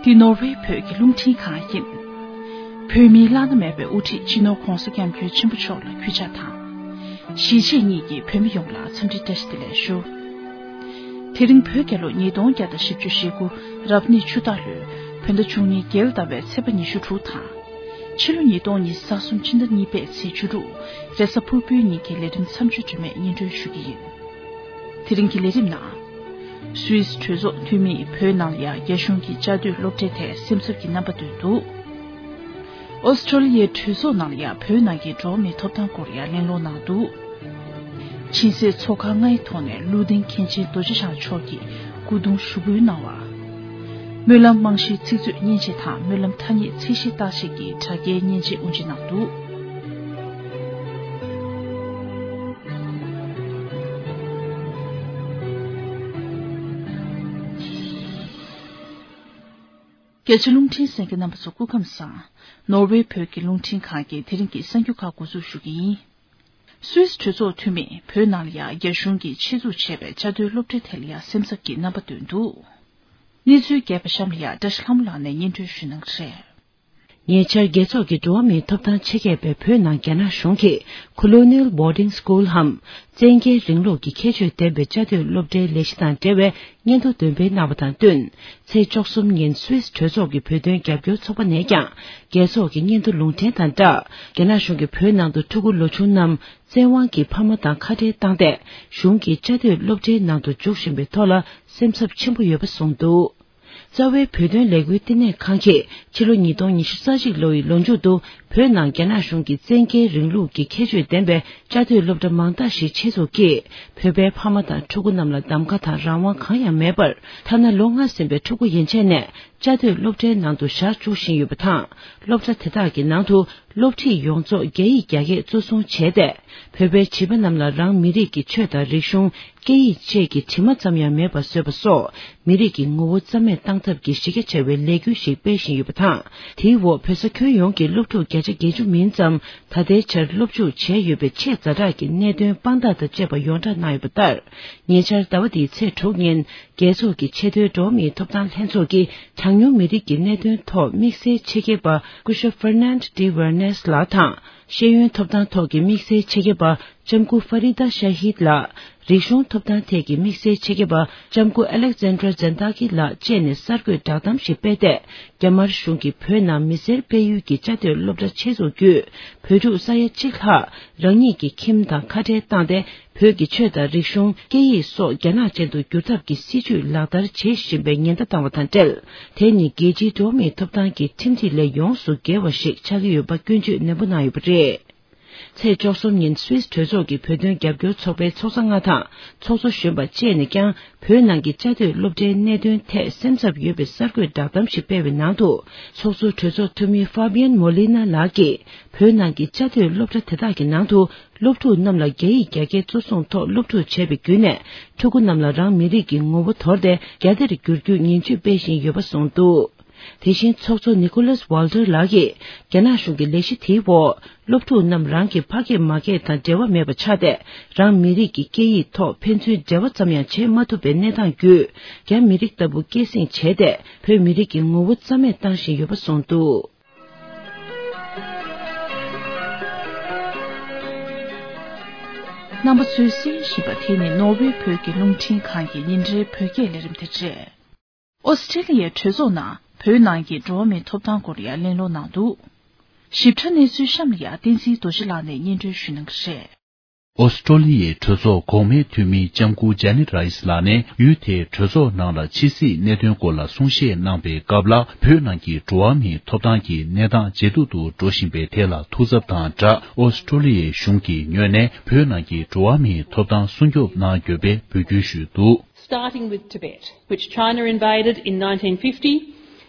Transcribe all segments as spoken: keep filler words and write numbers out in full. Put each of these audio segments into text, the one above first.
འདི་ནོར་ཝེ་བོད་ཀྱི་རླུང་འཕྲིན་ཁང་ཡིན། བོད་མིའི་བླ་ན་མེད་པའི་དབུ་ཁྲིད་སྤྱི་ནོར་༧གོང་ས་༧སྐྱབས་མགོན་ཆེན་པོ་མཆོག་ལ་གུས་ཕྱག་དང་། གཞིས་བྱེས་གཉིས་ཀྱི་བོད་མི་ཡོངས་ལ་འཚམས་འདྲི་བཀྲ་ཤིས་བདེ་ལེགས་ཞུ། དེ་རིང་བོད་རྒྱལ་ལོ་ཉིས་སྟོང་བརྒྱ་དང་བཞི་བཅུ་ཞེ་དགུ་རབ་གནས་ཆུ་སྟག་ལོའི་བོད་ཟླ་བཅུ་གཉིས་རྒྱལ་ཟླ་བའི་ཚེས་པ་ཉི་ཤུ་དྲུག་དང་། ཕྱི་ལོ་ཉིས་སྟོང་ཉི་ཤུ་རྩ་གསུམ་ཕྱི་ཟླ་གཉིས་པའི་ཚེས་བཅུ་དྲུག་རེས་གཟའ་ཕུར་བུའི་ཉིན་གྱི་ལས་རིམ་མཚམས་གཅོད་རིན་མེད་སྙན་སྒྲོན་ཞུ་གི་ཡིན། དེ་རིང་གི་ལས་རིམ་ནང་། སུད་སི་གྲོས་ཚོགས་འཐུས་མིས་བོད་ནང་ལ་ཡང་རྒྱ་གཞུང་གི་བཅའ་སྡོད་སློབ་གྲྭའི་ཐད་སེམས་འཚབ་ཀྱི་རྣམ་པ་བཏོན་འདུག་ཨོ་སི་ཀྲོ་ལི་ཡའི་གྲོས་ཚོགས་ནང་ལ་ཡང་བོད་ནང་གི་འགྲོ་བ་མིའི་ཐོབ་ཐང་སྐོར་ཡང་གླེང་སློང་གནང་འདུག་ཆིན་སའི་མཚོ་ཁ་ལྔའི་ཐོག་ནས་ཀླུ་ལྡིང་མཁན་ཆེན་རྡོ་རྗེ་འཆང་མཆོག་གི་སྐུ་གདུང་ཞུགས་འབུལ་གནང་བ། སྨོན་ལམ་རྨང་གཞིའི་ཚིག་མཛོད་མཉེན་ཆས་དང་སྨོན་ལམ་ཐ་སྙད་ཚད་གཞི་བརྟག་དཔྱད་ཀྱི་དྲ་རྒྱའི་མཉེན་ཆས་དབུ་འབྱེད་གནང་འདུག་རྒྱ་ཆེ་རླུང་འཕྲིན་གསན་མཁན་རྣམ་པ་ཚོ་སྐུ་ཁམས་བཟང་། ནོར་ཝེ་བོད་ཀྱི་རླུང་འཕྲིན་ཁང་གི་དེ་རིང་གི་གསར་འགྱུར་ཁག་འགོ་འཛུགས་ཞུ་གི་ཡིན། སུད་སི་གྲོས་ཚོགས་འཐུས་མིས་བོད་ནང་ལ་ཡང་རྒྱ་གཞུང་གིས་ཆེད་འཛུགས་བྱས་པའི་བཅའ་སྡོད་སློབ་གྲྭའི་ཐད་ལ་ཡང་སེམས་འཚབ་ཀྱི་རྣམ་པ་བཏོན་འདུག་གནས་ཚུལ་རྒྱས་པ་གཤམ་ལ་ཡང་བཀྲ་ཤིས་ལྷ་མོ་ལགས་ནས་སྙན་སྒྲོན་ཞུ་གནང་གི་རེད། ཉེ་ཆར་རྒྱལ་ཚོགས་ཀྱི་འགྲོ་བ་མིའི་ཐོབ་ཐང་ཆེད་མཁས་པས་བོད་ནང་རྒྱ་ནག་གཞུང་གིས་Colonial Boarding School འམ་བཙན་རྒྱལ་རིང་ལུགས་ཀྱི་ཁྱད་ཆོས་ལྡན་པའི་བཅའ་སྡོད་སློབ་གྲྭའི་ལས་གཞི་དང་འབྲེལ་བའི་སྙན་ཐོ་འདོན་སྤེལ་གནང་བ་དང་བསྟུན། ཚེས་བཅུ་གསུམ་ཉིན་སུད་སི་གྲོས་ཚོགས་ཀྱི་བོད་དོན་རྒྱབ་སྐྱོར་ཚོགས་པ་ནས་ཀྱང་རྒྱལ་ཚོགས་ཀྱི་སྙན་ཐོ་ལུང་འདྲེན་དང་སྦྲགས། རྒྱ་ནག་གཞུང་གིས་བོད་ནང་དུ་ཕྲུ་གུ་ལོ་ཆུང་རྣམས་བཙན་དབང་གིས་ཕ་མ་དང་ཁ་བྲལ་བཏང་སྟེ། གཞུང་གིས་བཅའ་སྡོད་སློབ་གྲྭའི་ནང་དུ་འཇུག་བཞིན་པའི་ཐོག་ལ་སེམས་འཚབ་ཆེན་པོ་ཡོད་པ་གསུངས་འདུག་རྩ་བའི་བོད་དོན་ལས་འགུལ་བསྟི་གནས་ཁང་གིས་ཕྱི་ལོ་ཉིས་སྟོང་ཉི་ཤུ་རྩ་གཅིག་ལོ་ཡི་ལོ་མཇུག་ཏུ་བོད་ནང་རྒྱ་ནག་གཞུང་གིས་བཙན་རྒྱལ་རིང་ལུགས་ཀྱི་ཁྱད་ཆོས་ལྡན་པའི་བཅའ་སྡོད་སློབ་གྲྭ་མང་དག་ཞིག་ཆེད་འཛུགས་ཀྱིས། བོད་པའི་ཕ་མ་དང་ཕྲུ་གུ་རྣམས་ལ་གདམ་ཁ་དང་རང་དབང་གང་ཡང་མེད་པར། ཐ་ན་ལོ་ལྔ་ཟིན་པའི་ཕྲུ་གུ་ཡན་ཆད་ནས་བཅའ་སྡོད་སློབ་གྲྭའི་ནང་དུ་བཞག་བཅུག་བཞིན་ཡོད་པ་དང་། སློབ་གྲྭ་དེ་དག་གི་ནང་དུ་སློབ་ཁྲིད་ཡོངས་རྫོགས་རྒྱ་ཡིག་རྒྱ་སྐད་གཙོ་བཟུང་བྱས་ཏེ། བོད་པའི་བྱིས་པ་རྣམས་ལ་རང་མི་རིགས་ཀྱི་ཆོས་དང་རིག་གཞུང་། སྐད་ཡིག་བཅས་ཀྱི་དྲི་མ་ཙམ་ཡང་མེད་པ་བཟོས་པ་སོགས། མི་རིགས་ཀྱི་ངོ་བོ་རྩ་མེད་བཏང་ཐབས་ཀྱི་གཞི་རྒྱ་ཆེ་བའི་ལས་འགུལ་ཞིག་སྤེལ་བཞིན་ཡོད་པ་དང་། དེའི་འོག་བོད་ས་ཁྱོན་ཡོངས་ཀྱི་སློབ་ཕྲུག་བརྒྱ་ཆ་བརྒྱད་ཅུ་མིན་ཙམ། ད་ལྟའི་ཆར་སློབ་འཇུག་བྱས་ཡོད་པའི་ཆེས་ཛ་དྲག་གི་གནད་དོན་དཔང་རྟགས་དང་བཅས་པ་ཡོངས་བསྒྲགས་གནང་ཡོད་པ་ལྟར། ཉེ་ཆར་ཟླ་བ་འདིའི་ཚེས་དྲུག་ཉིན། རྒྱལ་ཚོགས་ཀྱི་ཆེས་མཐོའི་འགྲོ་བ་མིའི་ཐོབ་ཐང་ལྷན་ཚོགས་ཀྱིས་གྲངས་ཉུང་མི་རིགས་ཀྱི་གནད་དོན་ཐོག་དམིགས་བསལ་ཆེད་མཁས་པ་སྐུ་ཞབས་Fernand de Vernes ལགས་དང་། ཤེས་ཡོན་ཐོབ་ཐང་ཐོག་གི་དམིགས་བསལ་ཆེད་མཁས་པ་ལྕམ་སྐུ་Farida Shahid ལགས། རིག་གཞུང་ཐོབ་ཐང་ཐད་ཀྱི་དམིགས་བསལ་ཆེད་མཁས་པ་ལྕམ་སྐུ་Alexandra Zendaki ལགས་བཅས་ནས་གསར་འགོད་བསྒྲགས་གཏམ་ཞིག་སྤེལ་ཏེ། རྒྱ་དམར་གཞུང་གིས་བོད་ནང་མི་སེར་སྤེལ་ཡུལ་གྱི་བཅའ་སྡོད་སློབ་གྲྭ་ཆེད་འཛུགས་བརྒྱུད། བོད་ཕྲུག་ས་ཡ་གཅིག་ལྷག་རང་ཉིད་ཀྱི་ཁྱིམ་དང་ཁ་བྲལ་བཏང་སྟེ། བོད་ཀྱི་ཆོས་དང་རིག་གཞུང་། སྐད་ཡིག་སོགས་རྒྱ་ནག་ཅན་དུ་བསྒྱུར་ཐབས་ཀྱི་སྲིད་ཇུས་ལག་བསྟར་བྱེད་བཞིན་པའི་ཉེན་བརྡ་བཏང་བ་དང་འབྲེལ། དེ་ནི་རྒྱལ་སྤྱིའི་འགྲོ་བ་མིའི་ཐོབ་ཐང་གི་ཁྲིམས་སྒྲིག་ལས་ཡོངས་སུ་འགལ་བ་ཞིག་ཆགས་ཀྱི་ཡོད་པ་སྐྱོན་བརྗོད་ནན་པོ་གནང་ཡོད་པ་རེད། ཚེས་བཅུ་གསུམ་ཉིན་སུད་སི་གྲོས་ཚོགས་ཀྱི་བོད་དོན་རྒྱབ་སྐྱོར་ཚོགས་པའི་ཚོགས་གཙོ་ལྔ་དང་ཚོགས་གཙོ་གཞོན་པ་བཅས་ནས་ཀྱང་། བོད་ནང་གི་བཅའ་སྡོད་སློབ་གྲྭའི་གནད་དོན་ཐད་སེམས་འཚབ་ཡོད་པའི་གསར་འགོད་བསྒྲགས་གཏམ་ཞིག་སྤེལ་བའི་ནང་དུ། ཚོགས་གཙོ་གྲོས་ཚོགས་འཐུས་མི་Fabian Molina ལགས་ཀྱིས། བོད་ནང་གི་བཅའ་སྡོད་སློབ་གྲྭ་དེ་དག་གི་ནང་དུ། སློབ་ཕྲུག་རྣམས་ལ་རྒྱ་ཡིག་རྒྱ་སྐད་གཙོ་བཟུང་ཐོག་སློབ་ཕྲུག་བྱས་པའི་བརྒྱུད་ནས། ཕྲུ་གུ་རྣམས་ལ་རང་མི་རིགས་ཀྱི་ངོ་བོ་དོར་ཏེ། རྒྱ་སྡེར་བསྒྱུར་རྒྱུའི་ངན་ཇུས་སྤེལ་བཞིན་ཡོད་པ་གསུངས་འདུག་དེ་བཞིན་ཚོགས་གཙོ་Nicholas Walter ལགས་ཀྱིས། རྒྱ་ནག་གཞུང་གི་ལས་གཞི་དེའི་འོག་སློབ་ཕྲུག་རྣམས་རང་གི་ཕ་སྐད་མ་སྐད་དང་འབྲེལ་བ་མེད་པ་ཆགས་ཏེ། རང་མི་རིགས་ཀྱི་སྐད་ཡིག་ཐོག་ཕན་ཚུན་འབྲེལ་བ་ཙམ་ཡང་བྱེད་མ་ཐུབ་པའི་གནས་སྟངས་བརྒྱུད། རྒྱ་མི་རིགས་ལྟ་བུ་སྐྱེད་སྲིང་བྱས་ཏེ། བོད་མི་རིགས་ཀྱི་ངོ་བོ་རྩ་མེད་བཏང་བཞིན་ཡོད་པ་གསུངས་འདུག་རྣམ་པ་ཚོས་གསན་བཞིན་པ་དེ་ནི་ནོར་ཝེ་བོད་ཀྱི་རླུང་འཕྲིན་ཁང་གི་ཉིན་རེའི་བོད་སྐད་ལས་རིམ་དེ་རེད། ཨོ་སི་ཀྲི་ལི་ཡའི་གྲོས་ཚོགས་ནང་བོད་ནང་གི་འགྲོ་བ་མིའི་ཐོབ་ཐང་སྐོར་ཡང་གླེང་སློང་གནང་འདུག་ཞིབ་ཕྲ་གནས་ཚུལ་གཤམ་ལ་ཡང་བསྟན་འཛིན་རྡོ་རྗེ་ལགས་ནས་སྙན་སྒྲོན་ཞུ་གནང་གི་རེད། ཨོ་སི་ཀྲོ་ལི་ཡའི་གྲོས་ཚོགས་གོང་མའི་འཐུས་མི་ལྕམ་སྐུ་ཇ་ནེ་ཊི་རའི་སི་ལགས་ནས་ཡུལ་དེའི་གྲོས་ཚོགས་ནང་ལ་ཕྱི་སྲིད་གནད་དོན་སྐོར་ལ་གསུང་བཤད་གནང་པའི་སྐབས་ལ། བོད་ནང་གི་འགྲོ་བ་མིའི་ཐོབ་ཐང་གི་གནས་སྟངས་ཇེ་སྡུག་ཏུ་འགྲོ་བཞིན་པའི་ཐད་ལ་ཐུགས་འཚབ་དང་སྦྲགས། ཨོ་སི་ཀྲོ་ལི་ཡའི་གཞུང་གི་ངོས་ནས་བོད་ནང་གི་འགྲོ་བ་མིའི་ཐོབ་ཐང་སྲུང་སྐྱོབ་གནང་དགོས་པའི་འབོད་སྐུལ་ཞུས་འདུག Starting with Tibet, which China invaded in nineteen fifty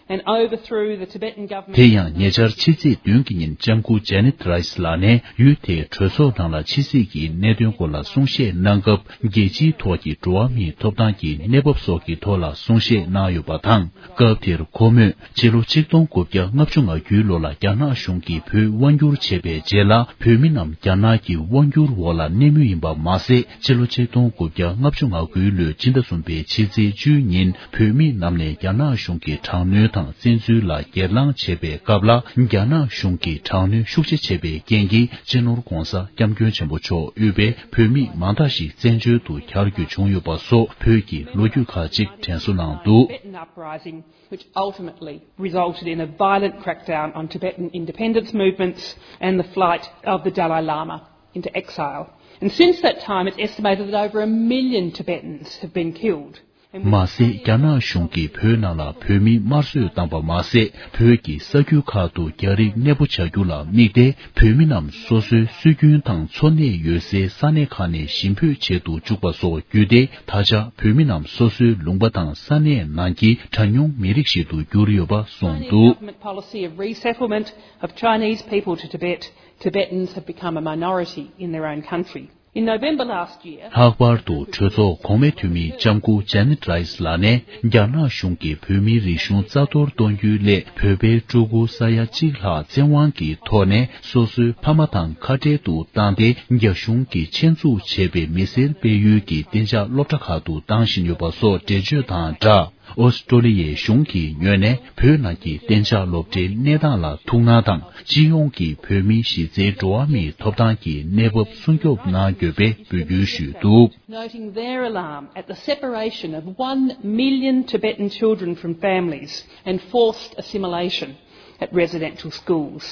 and overthrew the Tibetan government. དེ་ཡང་ཉེ་ཆར་ཕྱི་ཚེས་བདུན་གྱི་ཉིན་ལྕམ་སྐུ་ཇ་ནེ་ཊི་རའི་སི་ལགས་ནས་ཡུལ་དེའི་གྲོས་ཚོགས་ནང་ལ་ཕྱི་སྲིད་ཀྱི་གནད་དོན་སྐོར་ལ་གསུང་བཤད་གནང་སྐབས། རྒྱལ་སྤྱིའི་ཐོག་གི་འགྲོ་བ་མིའི་ཐོབ་ཐང་གི་གནས་བབ་སོགས་ཀྱི་ཐོག་ལ་གསུང་བཤད་གནང་ཡོད་པ་དང་། སྐབས་དེར་ཁོ་མོས་ཕྱི་ལོ་ཆིག་སྟོང་དགུ་བརྒྱ་ལྔ་བཅུ་ང་དགུའི་ལོ་ལ་རྒྱ་ནག་གཞུང་གིས་བོད་དབང་བསྒྱུར་བྱས་པའི་རྗེས་ལ། བོད་མི་རྣམས་རྒྱ་ནག་གི་དབང་བསྒྱུར་འོག་ལ་གནས་མུས་ཡིན་པ་མ་ཟད། ཕྱི་ལོ་ཆིག་སྟོང་དགུ་བརྒྱ་ལྔ་བཅུ་ང་དགུའི་ལོའི་ཕྱི་ཟླ་གསུམ་པའི་ཕྱི་ཚེས་བཅུའི་ཉིན། བོད་མི་རྣམས་ནས་རྒྱ་ནག་གཞུང་གི་དྲག་གནོན་ དང་བཙན་འཛུལ་ལ་སྒེར་ལངས་བྱེད་པའི་སྐབས་ལ། རྒྱ་ནག་གཞུང་གིས་དྲག་གནོན་ཤུགས་ཆེ་བྱས་པའི་རྐྱེན་གྱིས། སྤྱི་ནོར་༧གོང་ས་༧སྐྱབས་མགོན་ཆེན་པོ་མཆོག་དབུས་པའི་བོད་མི་མང་དག་ཞིག་བཙན་བྱོལ་དུ་གྱར་རྒྱུ་བྱུང་ཡོད་པ་སོགས། བོད་ཀྱི་ལོ་རྒྱུས་ཁག་ཅིག་དྲན་གསོ་གནང་འདུག། Tibetan uprising, which ultimately resulted in a violent crackdown on Tibetan independence movements and the flight of the Dalai Lama into exile. And since that time, it's estimated that over a million Tibetans have been killed. མ་ཟད། རྒྱ་ནག་གཞུང་གིས་བོད་ནང་ལ་བོད་མི་དམར་གསོད་བཏང་པ་མ་ཟད། བོད་ཀྱི་ས་རྒྱུད་ཁག་ཏུ་རྒྱ་རིགས་གནས་སྤོ་བྱ་རྒྱུ་ལ་དམིགས་ཏེ། བོད་མི་རྣམས་སོ་སོའི་སྲོལ་རྒྱུན་དང་འཚོ་གནས་ཡོད་སའི་ས་གནས་ཁག་ནས་ཞིང་འབོད་བྱེད་དུ་བཅུག་པ་སོགས་བརྒྱུད་དེ། ད་ཆ་བོད་མི་རྣམས་སོ་སོའི་ལུང་པ་དང་ས་གནས་ནང་གི་གྲངས་ཉུང་མི་རིགས་ཤིག་ཏུ་གྱུར་ཡོད་པ་གསུངས་འདུག། Government policy of resettlement of Chinese people to Tibet, Tibetans have become a minority in their own country. In November last year, ལྷག་པར་དུ་གྲོས་ཚོགས་གོང་མའི་འཐུས་མི་ལྕམ་སྐུ་ཇེ་ནེ་ཊི་རའི་སི་ལགས་ནས། རྒྱ་ནག་གཞུང་གིས་བོད་མིའི་རིག་གཞུང་རྩ་གཏོར་གཏོང་རྒྱུའི་སླད། བོད་པའི་སྤྲུལ་སྐུ་ས་ཡ་གཅིག་ལྷག་བཙན་དབང་གི་ཐོག་ནས་སོ་སོའི་ཕ་མ་དང་ཁ་བྲལ་དུ་བཏང་སྟེ། རྒྱ་གཞུང་གིས་ཆེད་འཛུགས་བྱས་པའི་མི་སེར་སྤེལ་ཡུལ་གྱི་གཏན་འཇགས་སློབ་གྲྭ་ཁག་ཏུ་བཏང་བཞིན་ཡོད་པ་སོགས་འགྲེལ་བརྗོད་དང་སྦྲགས། ཨོ་སི་ཀྲོ་ལི་ཡའི་གཞུང་གི་ངོས་ནས། བོད་ནང་གི་གཏན་འཇགས་སློབ་གྲྭའི་གནས་སྟངས་ལ་ཐུགས་སྣང་དང་། སྤྱི་ཡོངས་ཀྱི་བོད་མིའི་གཞི་རྩའི་འགྲོ་བ་མིའི་ཐོབ་ཐང་གི་གནས་བབ་སྲུང་སྐྱོབ་གནང་དགོས་པའི་འབོད་སྐུལ་ཞུས་འདུག། Noting their alarm at the separation of one million Tibetan children from families and forced assimilation at residential schools.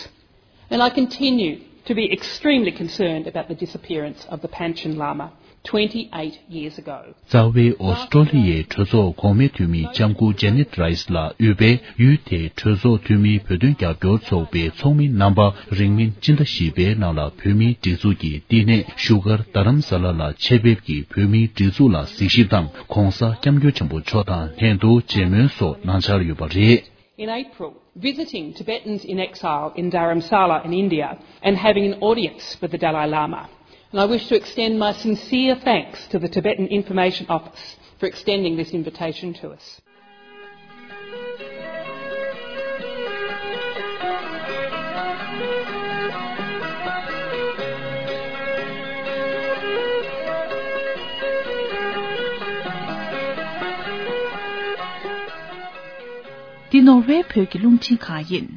And I continue to be extremely concerned about the disappearance of the Panchen Lama twenty-eight years ago. རྩ་བའི་ཨོ་སི་ཀྲོ་ལི་ཡའི་གྲོས་ཚོགས་གོང་མའི་འཐུས་མི་ལྕམ་སྐུ་ཇེ་ནེ་ཊི་རའི་སི་ལགས་དབུས་པའི་ཡུལ་དེའི་གྲོས་ཚོགས་འཐུས་མིའི་བོད་དོན་རྒྱབ་སྐྱོར་ཚོགས་པའི་ཚོགས་མི་རྣམ་པ་རིང་མིན་སྤྱི་ཟླ་བཞི་པའི་ནང་ལ། བོད་མིའི་སྒྲིག་འཛུགས་ཀྱི་བསྟི་གནས་བཞུགས་སྒར་རྡ་རམ་ས་ལ་ལ་ཆེད་ཕེབས་ཀྱིས། བོད་མིའི་སྒྲིག་འཛུགས་ལ་གཟིགས་ཞིབ་དང་། ྋགོང་ས་ྋསྐྱབས་མགོན་ཆེན་པོ་མཆོག་དང་ལྷན་དུ་མཇལ་མོལ་སོགས་གནང་འཆར་ཡོད་པ་རེད། In April, visiting Tibetans in exile in Dharamsala in India and having an audience with the Dalai Lama. And I wish to extend my sincere thanks to the Tibetan Information Office for extending this invitation to us. འདི་ནོར་ཝེ་བོད་ཀྱི་རླུང་འཕྲིན་ཁང་ཡིན།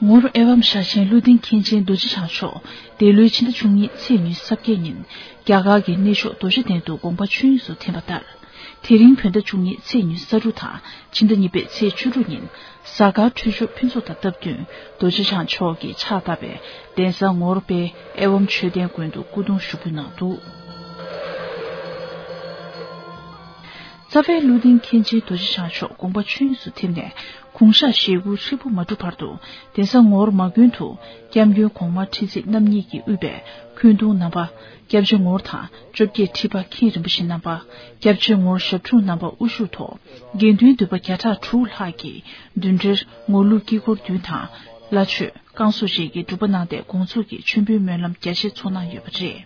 ངོར་ཨེ་ཝམ་ཤ་ཆེན་ཀླུ་ལྡིང་མཁན་ཆེན་རྡོ་རྗེ་འཆང་མཆོག་འདས་ལོའི་ཕྱི་ཟླ་བཅུ་གཉིས་ཚེས་ཉི་ཤུ་རྩ་བརྒྱད་ཉིན་རྒྱ་གར་གྱི་གནས་མཆོག་རྡོ་རྗེ་གདན་དུ་དགོངས་པ་ཆོས་དབྱིངས་སུ་ཐིམ་པ་ལྟར། དེ་རིང་བོད་ཟླ་བཅུ་གཉིས་ཚེས་ཉི་ཤུ་རྩ་དྲུག་དང་ཕྱི་ཟླ་གཉིས་པའི་ཚེས་བཅུ་དྲུག་ཉིན་གཟའ་སྐར་འཕྲོད་སྦྱོར་ཕུན་ཚོགས་དང་སྟབས་བསྟུན་རྡོ་རྗེ་འཆང་མཆོག་གིས་ཕྱག་བཏབ་པའི་གདན་ས་ངོར་དཔལ་ཨེ་ཝམ་ཆོས་ལྡན་དགོན་དུ་སྐུ་གདུང་ཞུགས་འབུལ་གནང་འདུག། རྩ་བའི་ཀླུ་ལྡིང་མཁན་ཆེན་རྡོ་རྗེ་འཆང་མཆོག་དགོངས་པ་ཆོས་དབྱིངས་སུ་ཐིམ་ནས་དགུང་ཞག་ཞེ་དགུ་ཧྲིལ་པོ་མ་གྲུབ་བར་དུ་གདན་ས་ངོར་མ་དགོན་དུ་སྐྱབས་མགོན་གོང་མ་ཁྲི་སྲིད་རྣམ་གཉིས་ཀྱིས་དབུས་པའི་འཁོན་གདུང་རྣམ་པ། སྐྱབས་རྗེ་ངོར་དང་བཅོ་བརྒྱད་ཁྲི་པ་མཁན་རིན་པོ་ཆེ་རྣམ་པ། སྐྱབས་རྗེ་ངོར་ཞབས་དྲུང་རྣམ་པ་དབུ་བཞུགས་ཐོག་དགེ་འདུན་འདུས་པ་བརྒྱ་ཕྲག་དྲུག་ལྷག་གིས་མདུན་གྲལ་ངོར་ལུགས་དཀྱིལ་འཁོར་བདུན་དང་། བླ་མཆོད། བསྐང་གསོ་བཅས་ཀྱི་སྒྲུབ་པ་གནང་སྟེ་དགོངས་རྫོགས་ཀྱི་མཆོད་འབུལ་སྨོན་ལམ་རྒྱ་ཆེ་ཚོགས་གནང་ཡོད་པ་རེད།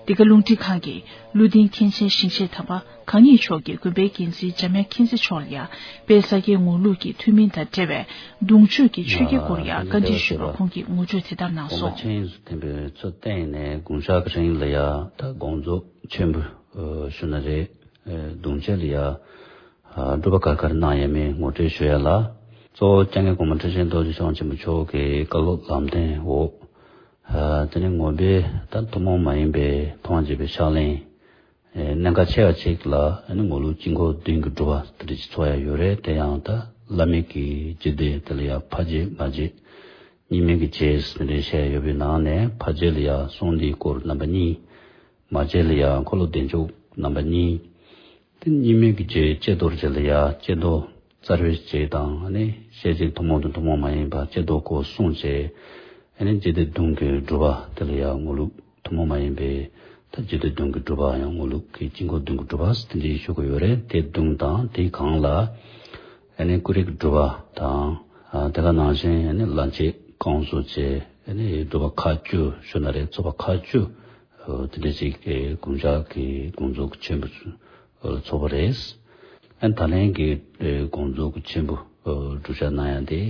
འདི་ག་རླུང་འཕྲིན་ཁང་གིས་ཀླུ་ལྡིང་མཁན་ཆེན་ཞིང་གཤེགས་དམ་པ་གང་ཉིད་མཆོག་གིས་དགོན་པའི་འགན་འཛིན་འཇམ་དབྱངས་མཁྱེན་བརྩེ་མཆོག་ལ་ཡང་དཔལ་ས་སྐྱའི་ངོར་ལུགས་ཀྱི་ཐུན་མིན་དང་འབྲེལ་བའི་གདུང་མཆོད་ཀྱི་ཆོས་བརྒྱད་སྐོར་ཡང་བཀའ་འདྲི་ཞུས་པར་ཁོང་གིས་ངོ་སྤྲོད་དེ་ལྟར་གནང་སོང་། དགོངས་པ་ཆོས་དབྱིངས་སུ་ཐིམ་པའི་ཚུལ་བསྟན་ནས་དགུང་ཞག་གི་རིང་ལ་ཡང་ད་དགོངས་རྫོགས་མཆོད་འབུལ་ཞུ་ན་རེད། གདུང་མཆོད་ལ་ཡང་སྒྲུབ་པ་ག་རེ་ག་རེ་གནང་ཡོད་མེད་ངོ་སྤྲོད་ཞུ་ཡ་ལ། གཙོ་བོ་སྐྱབས་མགོན་གོང་མ་ཁྲི་ཆེན་རྡོ་རྗེ་འཆང་ཆེན་པོ་མཆོག་གི་བཀའ་སློབ་ལམ་སྟོན་འོག་དེ་ནས་ངོ་དཔེ་ད་ཐུན་མོང་མ་ཡིན་པའི་མཐོང་བ་བརྒྱུད་པའི་ཕྱག་ལེན། གནད་འགག་ཆེ་བ་ཅིག་ལ་ངོར་ལུགས་དཀྱིལ་འཁོར་བདུན་གྱི་སྒྲུབ་པ་དེ་འདྲ་ཅིག་ཚོགས་ཡ་ཡོད་རེད། དེ་ཡང་ད་བླ་མེད་ཀྱི་རྒྱུད་སྡེ་དེ་ལ་ཡང་ཕ་རྒྱུད་མ་རྒྱུད་གཉིས་མེད་ཀྱི་རྒྱུད་ཟེར་ནས་བཤད་ཡོད་པའི་ནང་ནས་ཕ་རྒྱུད་ལ་ཡང་གསུང་འདིའི་སྐོར་རྣམ་པ་གཉིས། མ་རྒྱུད་ལ་ཡང་འཁོར་ལོ་བདེ་མཆོག་རྣམ་པ་གཉིས། དེ་གཉིས་མེད་ཀྱི་རྒྱུད་ཀྱི་ཀྱེ་རྡོར་རྒྱུད་ལ་ཡང་ཀྱེ་རྡོར་རྩ་བའི་རྒྱུད་དང་ནི་ཤེར་ཕྱིན་ཐུན་མོང་དང་ཐུན་མོང་མ་ཡིན་པ་ཀྱེ་རྡོར་སྐོར་གསུངས་བྱས། ཨ་ནི་རྒྱུད་སྡེ་བདུན་གྱི་སྒྲུབ་པ་དེ་ལ་ཡང་ངོར་ལུགས་ཐུན་མོང་མ་ཡིན་པའི་ད་རྒྱུད་སྡེ་བདུན་གྱི་སྒྲུབ་པ་ཡང་ངོར་ལུགས་ཀྱི་དཀྱིལ་འཁོར་བདུན་གྱི་སྒྲུབ་པ་དེ་འདྲའི་ཞུ་གི་ཡོད་རེད། དེ་བདུན་དང་དེའི་སྒང་ལ་ཨ་ནི་ཀུན་རིག་སྒྲུབ་པ་དང་། དེ་ག་ནང་བཞིན་ཨ་ནི་བླ་མཆོད་བསྐང་གསོ་བཅས་ཨ་ནི་སྒྲུབ་པ་ཁག་བཅུ་ཞུ་ན་རེད། ཚོགས་པ་ཁག་བཅུ་དེ་འདྲ་ཅིག་གི་དགུང་ཞག་གི་དགོངས་རྫོགས་ཆེན་པོ་ཚོགས་པ་རེད། ཨ་ནི་ད་ལན་གྱི་དགོངས་རྫོགས་ཆེན་པོ་སྒྲུབ་བྱ་གནང་ཡ་དེ་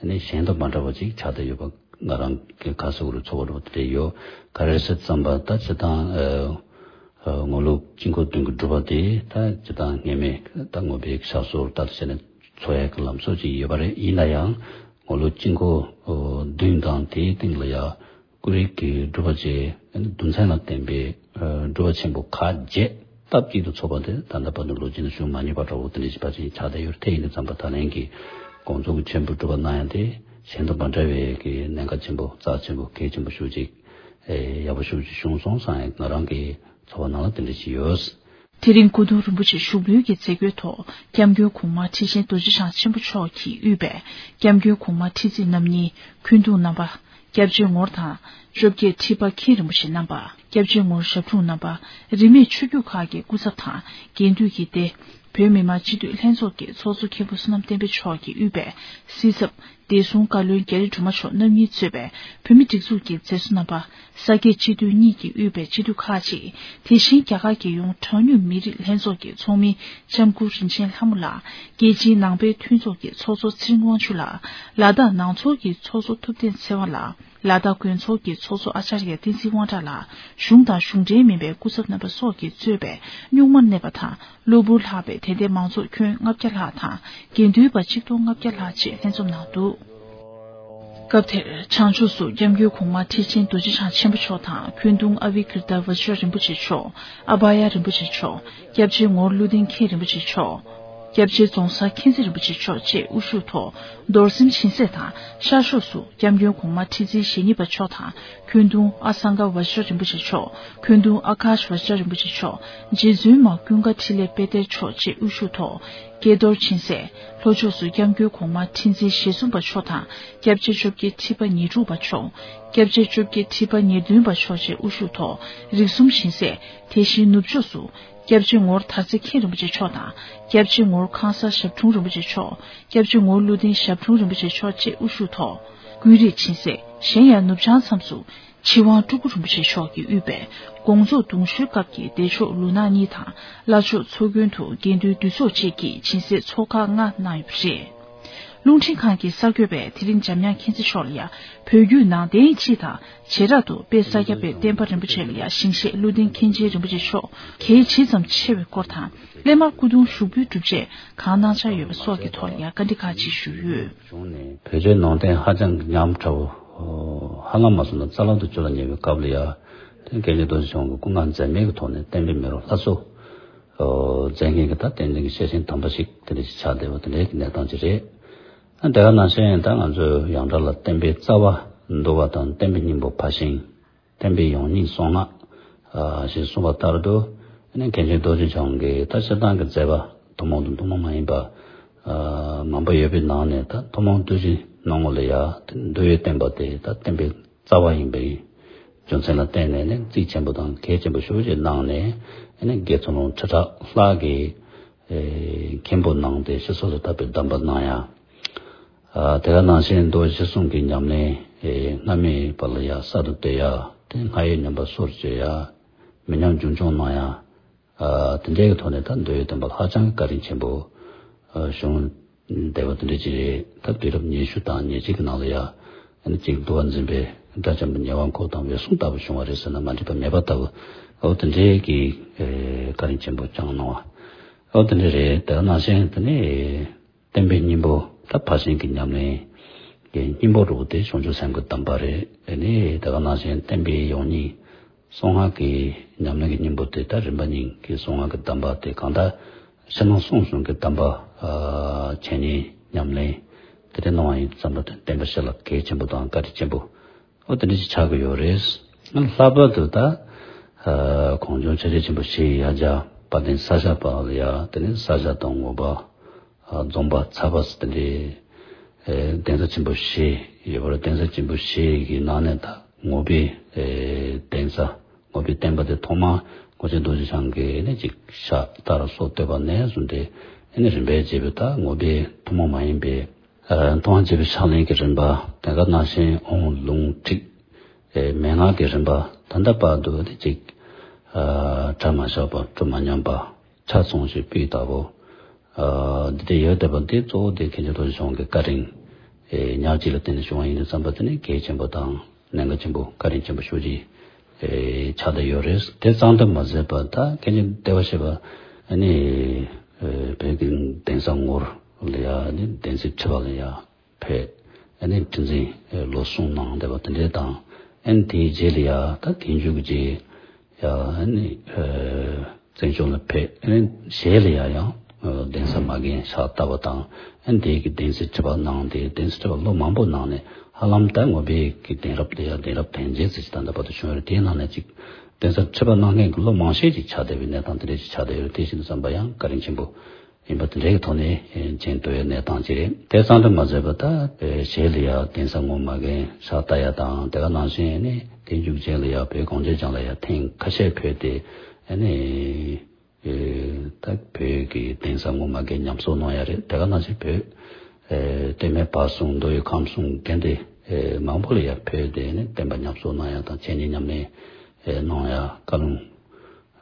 ཨ་ནི་གཞན་དང་མ་འདྲ་བ་ཅིག་ཆགས་བསྡད་ཡོད་པ། ང་རང་གི་ཁ་སོ་རུ་ཚོགས་པ་འགྲོ་དེ་ཡོད། ག་རེ་རེད་ཟེར་ཙམ་པ་ད་སྤྱིར་བཏང་ཨ་ངོ་ལོག་དཀྱིལ་འཁོར་བདུན་གྱི་སྒྲུབ་པ་དེ་ད་སྤྱིར་བཏང་ངེས་མེད་ད་ངོ་བོའི་ཕྱག་སོར་ལྟར་བྱས་ནས་འཚོ་ཡག་གི་ལམ་སྲོལ་ཅིག་ཡོད་པ་རེད། ཡིན་ན་ཡང་ངོ་ལོག་དཀྱིལ་འཁོར་བདུན་དང་དེའི་སྟེང་ལ་ཡ། ཀུ་རེ་གི་སྒྲུབ་པ་བཅས་རྡུལ་ཚོན་ལ་བརྟེན་པའི་སྒྲུབ་པ་ཆེན་པོ་ཁག་བརྒྱད་སྟབས་གཅིག་ཏུ་ཚོགས་པ་དེ་ད་ལྟ་བར་དུ་ལོ་རྒྱུས་ནང་བྱུང་མ་མྱོང་བ་འདྲ་བོ་དེ་འདྲ་ཞིག་ཕལ་ཆེར་ཆགས་བསྡད་ཡོད་རེད། དེ་ཡིན་དུས་ཙམ་པ་ད་ལན་གྱི་དགོངས་རྫོགས་ཀྱི་མཆོད་འབུལ་སྒྲུབ་པ་གནང་ཡ་དེ་གཞན་དང་མ་འདྲ་བའི་གི་གནད་འགག་ཆེན་པོ་རྩ་ཆེན་པོ་གལ་ཆེན་པོ་ཤུགས་ཅིག་ཡག་པོ་ཤུགས་ཅིག་བྱུང་སོང་བསམ་ཡ་ང་རང་གི་ཚོར་བ་ནང་ལ་དེ་འདྲ་ཞིག་ཡོད། དེ་རིང་སྐུ་གདུང་རིན་པོ་ཆེ་བཞུགས་འབུལ་གྱི་མཛད་སྒོའི་ཐོག་སྐྱབས་མགོན་གོང་མ་ཁྲི་ཆེན་རྡོ་རྗེ་འཆང་ཆེན་པོ་མཆོག་གིས་དབུས་པའི་སྐྱབས་མགོན་གོང་མ་ཁྲི་བརྩིགས་རྣམ་གཉིས། འཁོན་གདུང་རྣམ་པ། སྐྱབས་རྗེ་ངོར་དང་། བཅོ་བརྒྱད་ཁྲི་པ་མཁན་རིན་པོ་ཆེ་རྣམ་པ། སྐྱབས་རྗེ་ངོར་ཞབས་དྲུང་རྣམ་པ། རིས་མེད་ཆོས་བརྒྱུད་ཁག་གི་སྐུ་ཚབ་དང་དགེ་འདུན་གྱི་སྡེ། བོད་མི་མང་སྤྱི་འཐུས་ལྷན་ཚོགས་ཀྱི་ཚོགས་གཙོ་མཁན་པོ་བསོད་ནམས་བསྟན་འཕེལ་མཆོག་གིས་དབུས་པའི་སྲིད་ཚབ། བདེ་སྲུང་བཀའ་བློན་རྒྱ་རི་སྒྲོལ་མ་མཆོག་རྣམ་གཉིས་གཙོས་པའི་བོད་མི་སྒྲིག་འཛུགས་ཀྱི་མཛད་གཙོ་རྣམ་པ། ས་དགེ་སྤྱི་འཐུས་གཉིས་ཀྱིས་དབུས་པའི་སྤྱི་འཐུས་ཁག་ཅིག་དེ་བཞིན་རྒྱ་གར་རྒྱལ་ཡོངས་གྲངས་ཉུང་མི་རིགས་ལྷན་ཚོགས་ཀྱི་ཚོགས་མི་ལྕམ་སྐུ་རིན་ཆེན་ལྷ་མོ་ལགས། རྒྱལ་སྤྱིའི་ནང་པའི་མཐུན་ཚོགས་ཀྱི་ཚོགས་གཙོ་ཚེ་རིང་དབང་ཕྱུག་ལགས། ལ་དྭགས་ནང་ཚོགས་ཀྱི་ཚོགས་གཙོ་ཐུབ་བསྟན་ཚེ་དབང་ལགས། ལ་དྭགས་དགོན་ཚོགས་ཀྱི་ཚོགས་གཙོ་ཨ་ཅཱརྱ་བསྟན་འཛིན་དབང་གྲགས་ལགས། གཞུང་དང་གཞུང་འབྲེལ་མིན་པའི་སྐུ་ཚབ་རྣམ་པ་སོགས་ཀྱིས་གཙོས་པའི་རྙོག་མར་གནས་པ་དང་གློ་བུར་ལྷག་པའི་དད་ལྡན་མང་ཚོགས་ཁྱོན་ལྔ་བརྒྱ་ལྷག་དང་དགེ་འདུན་པ་ཆིག་སྟོང་ལྔ་བརྒྱ་ལྷག་བཅས་ལྷན་འཛོམས་གནང་འདུག་སྐབས་དེར་བྱང་ཕྱོགས་སུ་སྐྱབས་མགོན་གོང་མ་ཁྲི་ཆེན་རྡོ་རྗེ་འཆང་ཆེན་པོ་མཆོག་དང་། འཁོན་གདུང་ཨ་བྷི་ཀིརྟ་བཛྲ་རིན་པོ་ཆེ་མཆོག་ཨ་བྷ་ཡ་རིན་པོ་ཆེ་མཆོག་སྐྱབས་རྗེ་ངོར་ཀླུ་ལྡིང་མཁན་རིན་པོ་ཆེ་མཆོག་སྐྱབས་རྗེ་རྫོང་སར་མཁྱེན་བརྩེ་རིན་པོ་ཆེ་མཆོག་བཅས་དབུ་བཞུགས་ཐོག་རྡོར་སེམས་སྦྱིན་སྲེག་དང་། ཤར་ཕྱོགས་སུ་སྐྱབས་མགོན་གོང་མ་ཁྲི་འཛིན་ཞེ་གཉིས་པ་མཆོག་དང་། འཁོན་གདུང་ཨ་སངྒ་བཛྲ་རིན་པོ་ཆེ་མཆོག་འཁོན་གདུང་ཨ་ཀཱཤ་བཛྲ་རིན་པོ་ཆེ་མཆོག་རྗེ་བཙུན་མ་ཀུན་དགའ་འཕྲིན་ལས་དཔལ་སྟེར་མཆོག་བཅས་དབུ་བཞུགས་ཐོག་ཀྱེ་རྡོར་སྦྱིན་སྲེག་ལྷོ་ཕྱོགས་སུ་སྐྱབས་མགོན་གོང་མ་ཁྲི་འཛིན་ཞེ་གསུམ་པ་མཆོག་དང་། སྐྱབས་རྗེ་བཅོ་བརྒྱད་ཁྲི་པ་ཉེར་དྲུག་པ་མཆོག་སྐྱབས་རྗེ་བཅོ་བརྒྱད་ཁྲི་པ་ཉེར་བདུན་པ་མཆོག་བཅས་དབུ་བཞུགས་ཐོག་རིགས་གསུམ་སྦྱིན་སྲེག་དེ་བཞིན་ནུབ་ཕྱོགས་སུ་སྐྱབས་རྗེ་ངོར་དར་རྩེ་མཁན་རིན་པོ་ཆེ་མཆོག་དང་། སྐྱབས་རྗེ་ངོར་ཁང་གསར་ཞབས་དྲུང་རིན་པོ་ཆེ་མཆོག་སྐྱབས་རྗེ་ངོར་ཀླུ་ལྡིང་ཞབས་དྲུང་རིན་པོ་ཆེ་མཆོག་བཅས་དབུ་བཞུགས་ཐོག་ཀུན་རིག་སྦྱིན་སྲེག་གཞན་ཡང་ནུབ་བྱང་མཚམས་སུ་ཆོས་དབང་སྤྲུལ་སྐུ་རིན་པོ་ཆེ་མཆོག་གིས་དབུས་པའི་དགོངས་རྫོགས་གདུང་ཤུལ་སྐབས་ཀྱི་བདེ་མཆོག་ལུགས་ནག་གཉིས་དང་བླ་མཆོག་ཚོགས་མགོན་དུ་དགེ་འདུན་འདུས་ཚོགས་བཅས་ཀྱིས་སྦྱིན་སྲེག་ཚོགས་ཁག་ལྔ་གནང་ཡོད་པ་རེད། རླུང་འཕྲིན་ཁང་གི་གསར་འགོད་པས་དེ་རིང་འཇམ་དབྱངས་མཁྱེན་བརྩེ་མཆོག་ལ་ཡང་བོད་བརྒྱུད་ནང་བསྟན་སྤྱི་དང་བྱེ་བྲག་ཏུ་དཔལ་ས་སྐྱ་པའི་བསྟན་པ་རིན་པོ་ཆེ་ལ་ཡང་ཞིང་གཤེགས་ཀླུ་ལྡིང་མཁན་ཆེན་རིན་པོ་ཆེ་མཆོག་གལ་ཇི་ཙམ་ཆེ་བའི་སྐོར་དང་། སླད་མར་སྐུ་གདུང་ཞུགས་འབུལ་སྒྲུབ་ཆེད་གང་གནང་འཆར་ཡོད་པ་སོགས་ཀྱི་ཐོག་ལ་ཡང་བཀའ་འདྲི་ཁག་ཅིག་ཞུས་ཡོད། བྱུང་ནས་བོད་ཆོས་ནང་བསྟན་ཧ་ཅང་གི་ཉམས་ཕྲ་བོ། ཧ་ལམ་མ་སོང་ན་རྩ་བརླག་ཏུ་གྱུར་ལ་ཉེ་བའི་སྐབས་ལ་ཡང་དེ་མཁན་ཆེན་རྡོ་རྗེ་འཆང་གི་སྐུ་ངལ་འཛེམས་མེད་ཀྱི་ཐོག་ནས་བསྟན་པའི་མེ་རོ་ལྷ་གསོལ་མཛད་མཁན་གྱི་ད་བསྟན་འཛིན་གྱི་སྐྱེས་ཆེན་དམ་པ་ཞིག་དེ་འདྲ་ཞིག་ཆགས་བསྡད་པ་དེ་འདྲའི་གི་གནས་སྟངས་ཅིག་རེད། ཨ་དེ་ག་ནང་བཞིན་ད་ང་ཚོའི་ཡོངས་གྲགས་ལ་བསྟན་པའི་རྩ་བ་འདུལ་བ་དང་བསྟན་པའི་སྙིང་པོ་ཕར་ཕྱིན། བསྟན་པའི་ཡོངས་སྙིང་གསང་སྔགས་ཞེས་གསུངས་པ་ལྟར་དུ། མཁན་ཆེན་རྡོ་རྗེ་འཆང་གིས་ད་སྤྱིར་བཏང་གི་མཛད་པ་ཐུན་མོང་དང་ཐུན་མོང་མ་ཡིན་པ། མང་པོ་ཡོད་པའི་ནང་ནས་ད་ཐུན་མོང་བསྡུས་ཀྱི་ནང་ལ་ཡ་འདུལ་བའི་བསྟན་པ་དེ་ད་བསྟན་པའི་རྩ་བ་ཡིན་པའི་རྒྱུ་མཚན་ལ་བརྟེན་ནས་ནི་རྩིས་ཆེན་པོ་དང་གལ་ཆེན་པོ་ཞེ་པོ་ཅིག་གནང་ནས་ནི་དགེ་ཚུལ་སློང་ཁྲི་ཕྲག་ལྷག་གིས་མཁན་པོ་གནང་སྟེ་ཤི་སོ་སོ་ཐར་པའི་གདམས་པ་གནང་ཡ། དེ་ག་ནང་བཞིན་མདོ་སྤྱི་གསུམ་གྱི་ཉམས་ལེན་སྔ་མའི་བར་ལ་ཡ་གསར་དུ་གཏོད་ཡ། དེ་སྔགས་ཡིག་རྙིང་པ་སོར་བཅོས་ཡ། མི་ཉམས་རྒྱུན་སྐྱོང་གནང་ཡ། དེ་འདྲའི་གི་ཐོག་ནས་ད་མདོའི་བསྟན་པ་ཧ་ཅང་གི་བཀའ་དྲིན་ཆེན་པོ་བྱུང་བསྡད་པ་དེ་འདྲ་ཅིག་རེད། ད་དུས་རབས་ཉི་ཤུ་དང་ཉེར་གཅིག་གི་ནང་ལ་ཡ་ཨ་ནི་གཅིག་འདུལ་བ་འཛིན་པའི་སྒྲ་ཆེན་པོ་ཉེ་བར་འཁོར་དང་འོད་སྲུང་ལྟ་བུ་བྱུང་བ་རེད་ཟེར་ན་མ་འགྲིག་པ་མེད་པ་ལྟ་བུ། འོ་དེ་འདྲའི་གི་བཀའ་དྲིན་ཆེན་པོ་བསྐྱངས་གནང་བ། འོ་དེ་འདྲ་རེད། དེ་ནང་བཞིན་དེ་ནས་བསྟན་པའི་སྙིང་པོ་ད་ཕར་ཕྱིན་གྱི་ཉམས་ལེན་གྱི་སྙིང་པོ་རུ་དེ་བྱང་ཆུབ་སེམས་ཀྱི་གདམས་པ་རེད། ཨ་ནི་དེ་ག་ནང་བཞིན་བསྟན་པའི་ཡོངས་སྙིང་གསང་སྔགས་ཀྱི་ཉམས་ལེན་གྱི་སྙིང་པོ་དེ་ད་རིམ་པ་གཉིས་ཀྱི་གསང་སྔགས་ཀྱི་གདམས་པ་དེ་གང་ལྟར་ཕྱི་ནང་གསང་གསུམ་གྱི་གདམས་པ་འཆད་ཉན་ཉམས་ལེན་དེ་འདྲ་གནང་བ་ཡིན་ཙམ་པ་དེ་བསྟན་པ་སྤྱི་ལ་གལ་ཆེན་པོ་དང་བཀའ་དྲིན་ཆེན་པོ་འོ་དེ་འདྲ་ཞིག་ཆགས་ཀྱི་ཡོད་རེད། ལྷག་པར་དུ་ད་གངས་ལྗོངས་ཆོས་རྗེ་ཆེན་པོ་བཞི་ཡི་ཡང་རྒྱལ་དཔལ་ལྡན་ས་སྐྱ་པ་ལ་ཡ་དེ་ནས་ས་སྐྱ་དང་ངོ་བོ་རྫོང་པ་ཚ་བ་སི་ཏི་ལི་གདན་ས་ཆེན་པོ་བཞི་ཡོད་པར་གདན་ས་ཆེན་པོ་བཞི་གི་ནང་ནས་ད་ངོ་བོའི་གདན་ས་ངོ་བོའི་བསྟན་པ་དེ་ཐོག་མར་གོ་ཆེན་རྡོ་རྗེ་འཆང་གིས་ནི་ཅིག་ཕྱག་རྟ་ར་སོགས་བསྟོད་པ་ནས་བཟུང་སྟེ་ནི་རིམ་པས་བྱས་པའི་ད་ངོ་བོའི་ཐུན་མོང་མ་ཡིན་པའི་མཐོང་བ་བྱས་པའི་ཕྱག་ལེན་གྱི་རིམ་པ་དེ་ག་ནང་བཞིན་དབང་ལུང་ཁྲིད་མན་ངག་གི་རིམ་པ་ད་ལྟ་བར་དུ་ནི་ཅིག་གྲ་མ་ཆག་པ་གྲུ་མ་ཉམས་པ། ཆ་ཚང་ཞིག་སྤུས་དག་པོ། ཨ་འདི་འདྲ་ཡོད་བསྡད་པ་འདི་གཙོ་བོ་འདི་མཁན་ཆེན་རྡོ་རྗེ་འཆང་གི་བཀའ་དྲིན་ ཨེ་ཉག་གཅིག་ལ་བརྟེན་ནས་བྱུང་བ་ཡིན་དུས་ཙམ་པ་དེ་ནི་གལ་ཆེན་པོ་དང་གནད་འགག་ཆེན་པོ་བཀའ་དྲིན་ཆེན་པོ་ཤོས་ཅིག་ཨེ་ཆགས་བསྡད་ཡོད་རེད། དེ་ཙམ་དུ་མ་ཟད་པ་ད་མཁན་ཆེན་བདེ་བར་གཤེགས་པ་ཨ་ནི་ཨེ་བོད་ཀྱི་གདན་ས་ངོར་ལ་ཡ་ཨ་ནི་གདན་སའི་ཁྲི་པ་ལ་ཡ་ཕེབས། ཨ་ནི་ཁྲི་འཛིན་ལོ་གསུམ་གནང་བསྡད་པ་དེ་འདྲས་དང་། ཨ་ནི་དེའི་རྗེས་ལ་ཡ་ད་དེའི་མཇུག་གི་རྗེས་ཡ་ཨ་ནི་བཙན་བྱོལ་ལ་ཕེབས། ཨ་ནི་ཞལ་ལ་ཡ་ཡང་གདན་ས་མ་རྒན་ཕྱག་བཏབ་པ་དང་། ཨ་ནི་དེའི་གི་གདན་སའི་ཁྲི་པ་གནང་སྟེ་གདན་སའི་ཁྲི་པ་ལོ་མང་པོ་གནང་ནས་ཧ་ལམ་ད་ངོ་བོད་ཀྱི་གདན་རབས་དེ་ཡ་གདན་རབས་བརྟན་རྗེས་ཟེར་ཅིག་ད་ལྟ་བར་དུ་བྱུང་ཡོད་རེད། དེའི་ནང་ནས་ཅིག་གདན་ས་ཁྲི་པ་གནང་མཁན་གྱི་ལོ་མང་ཤས་ཅིག་ཆགས་བསྡད་པའི་གནས་སྟངས་དེ་འདྲས་ཅིག་ཆགས་བསྡད་ཡོད་རེད། དེ་བཞིན་དུ་བསམ་པ་ཡང་བཀའ་དྲིན་ཆེན་པོ་ཡིན་པ་དེ་འདྲའི་ཐོག་ནས་མཇལ་ཐུབ་པའི་གནས་སྟངས་ཅིག་རེད། དེ་ཙམ་དུ་མ་ཟད་པ་ད་ཞལ་ལ་ཡ་གདན་ས་ངོ་མ་རྒན་ཕྱག་བཏབ་ཡ་དང་། དེ་ག་ནང་བཞིན་ནི་དེ་མཇུག་རྗེས་ལ་ཡ་བོད་གངས་ཅན་ལྗོངས་ལ་ཡ་ཐེངས་ཁ་ཤས་ཕེབས་ཏེ་ནི་ད་བོད་ཀྱི་གདན་ས་ངོ་མ་རྒན་ཉམས་གསོ་གནང་ཡ་རེད། དེ་ག་ནང་བཞིན་བོད་སྟོད་སྨད་བར་གསུམ་མདོ་དབུས་ཁམས་གསུམ་དགོན་སྡེ་མང་པོ་ལ་ཡ་ཕེབས་ཏེ་ནི་བསྟན་པ་ཉམས་གསོ་གནང་ཡ་དང་འཆད་ཉན་ཉམས་ལེན་གནང་ཡ་བཀའ་ལུང་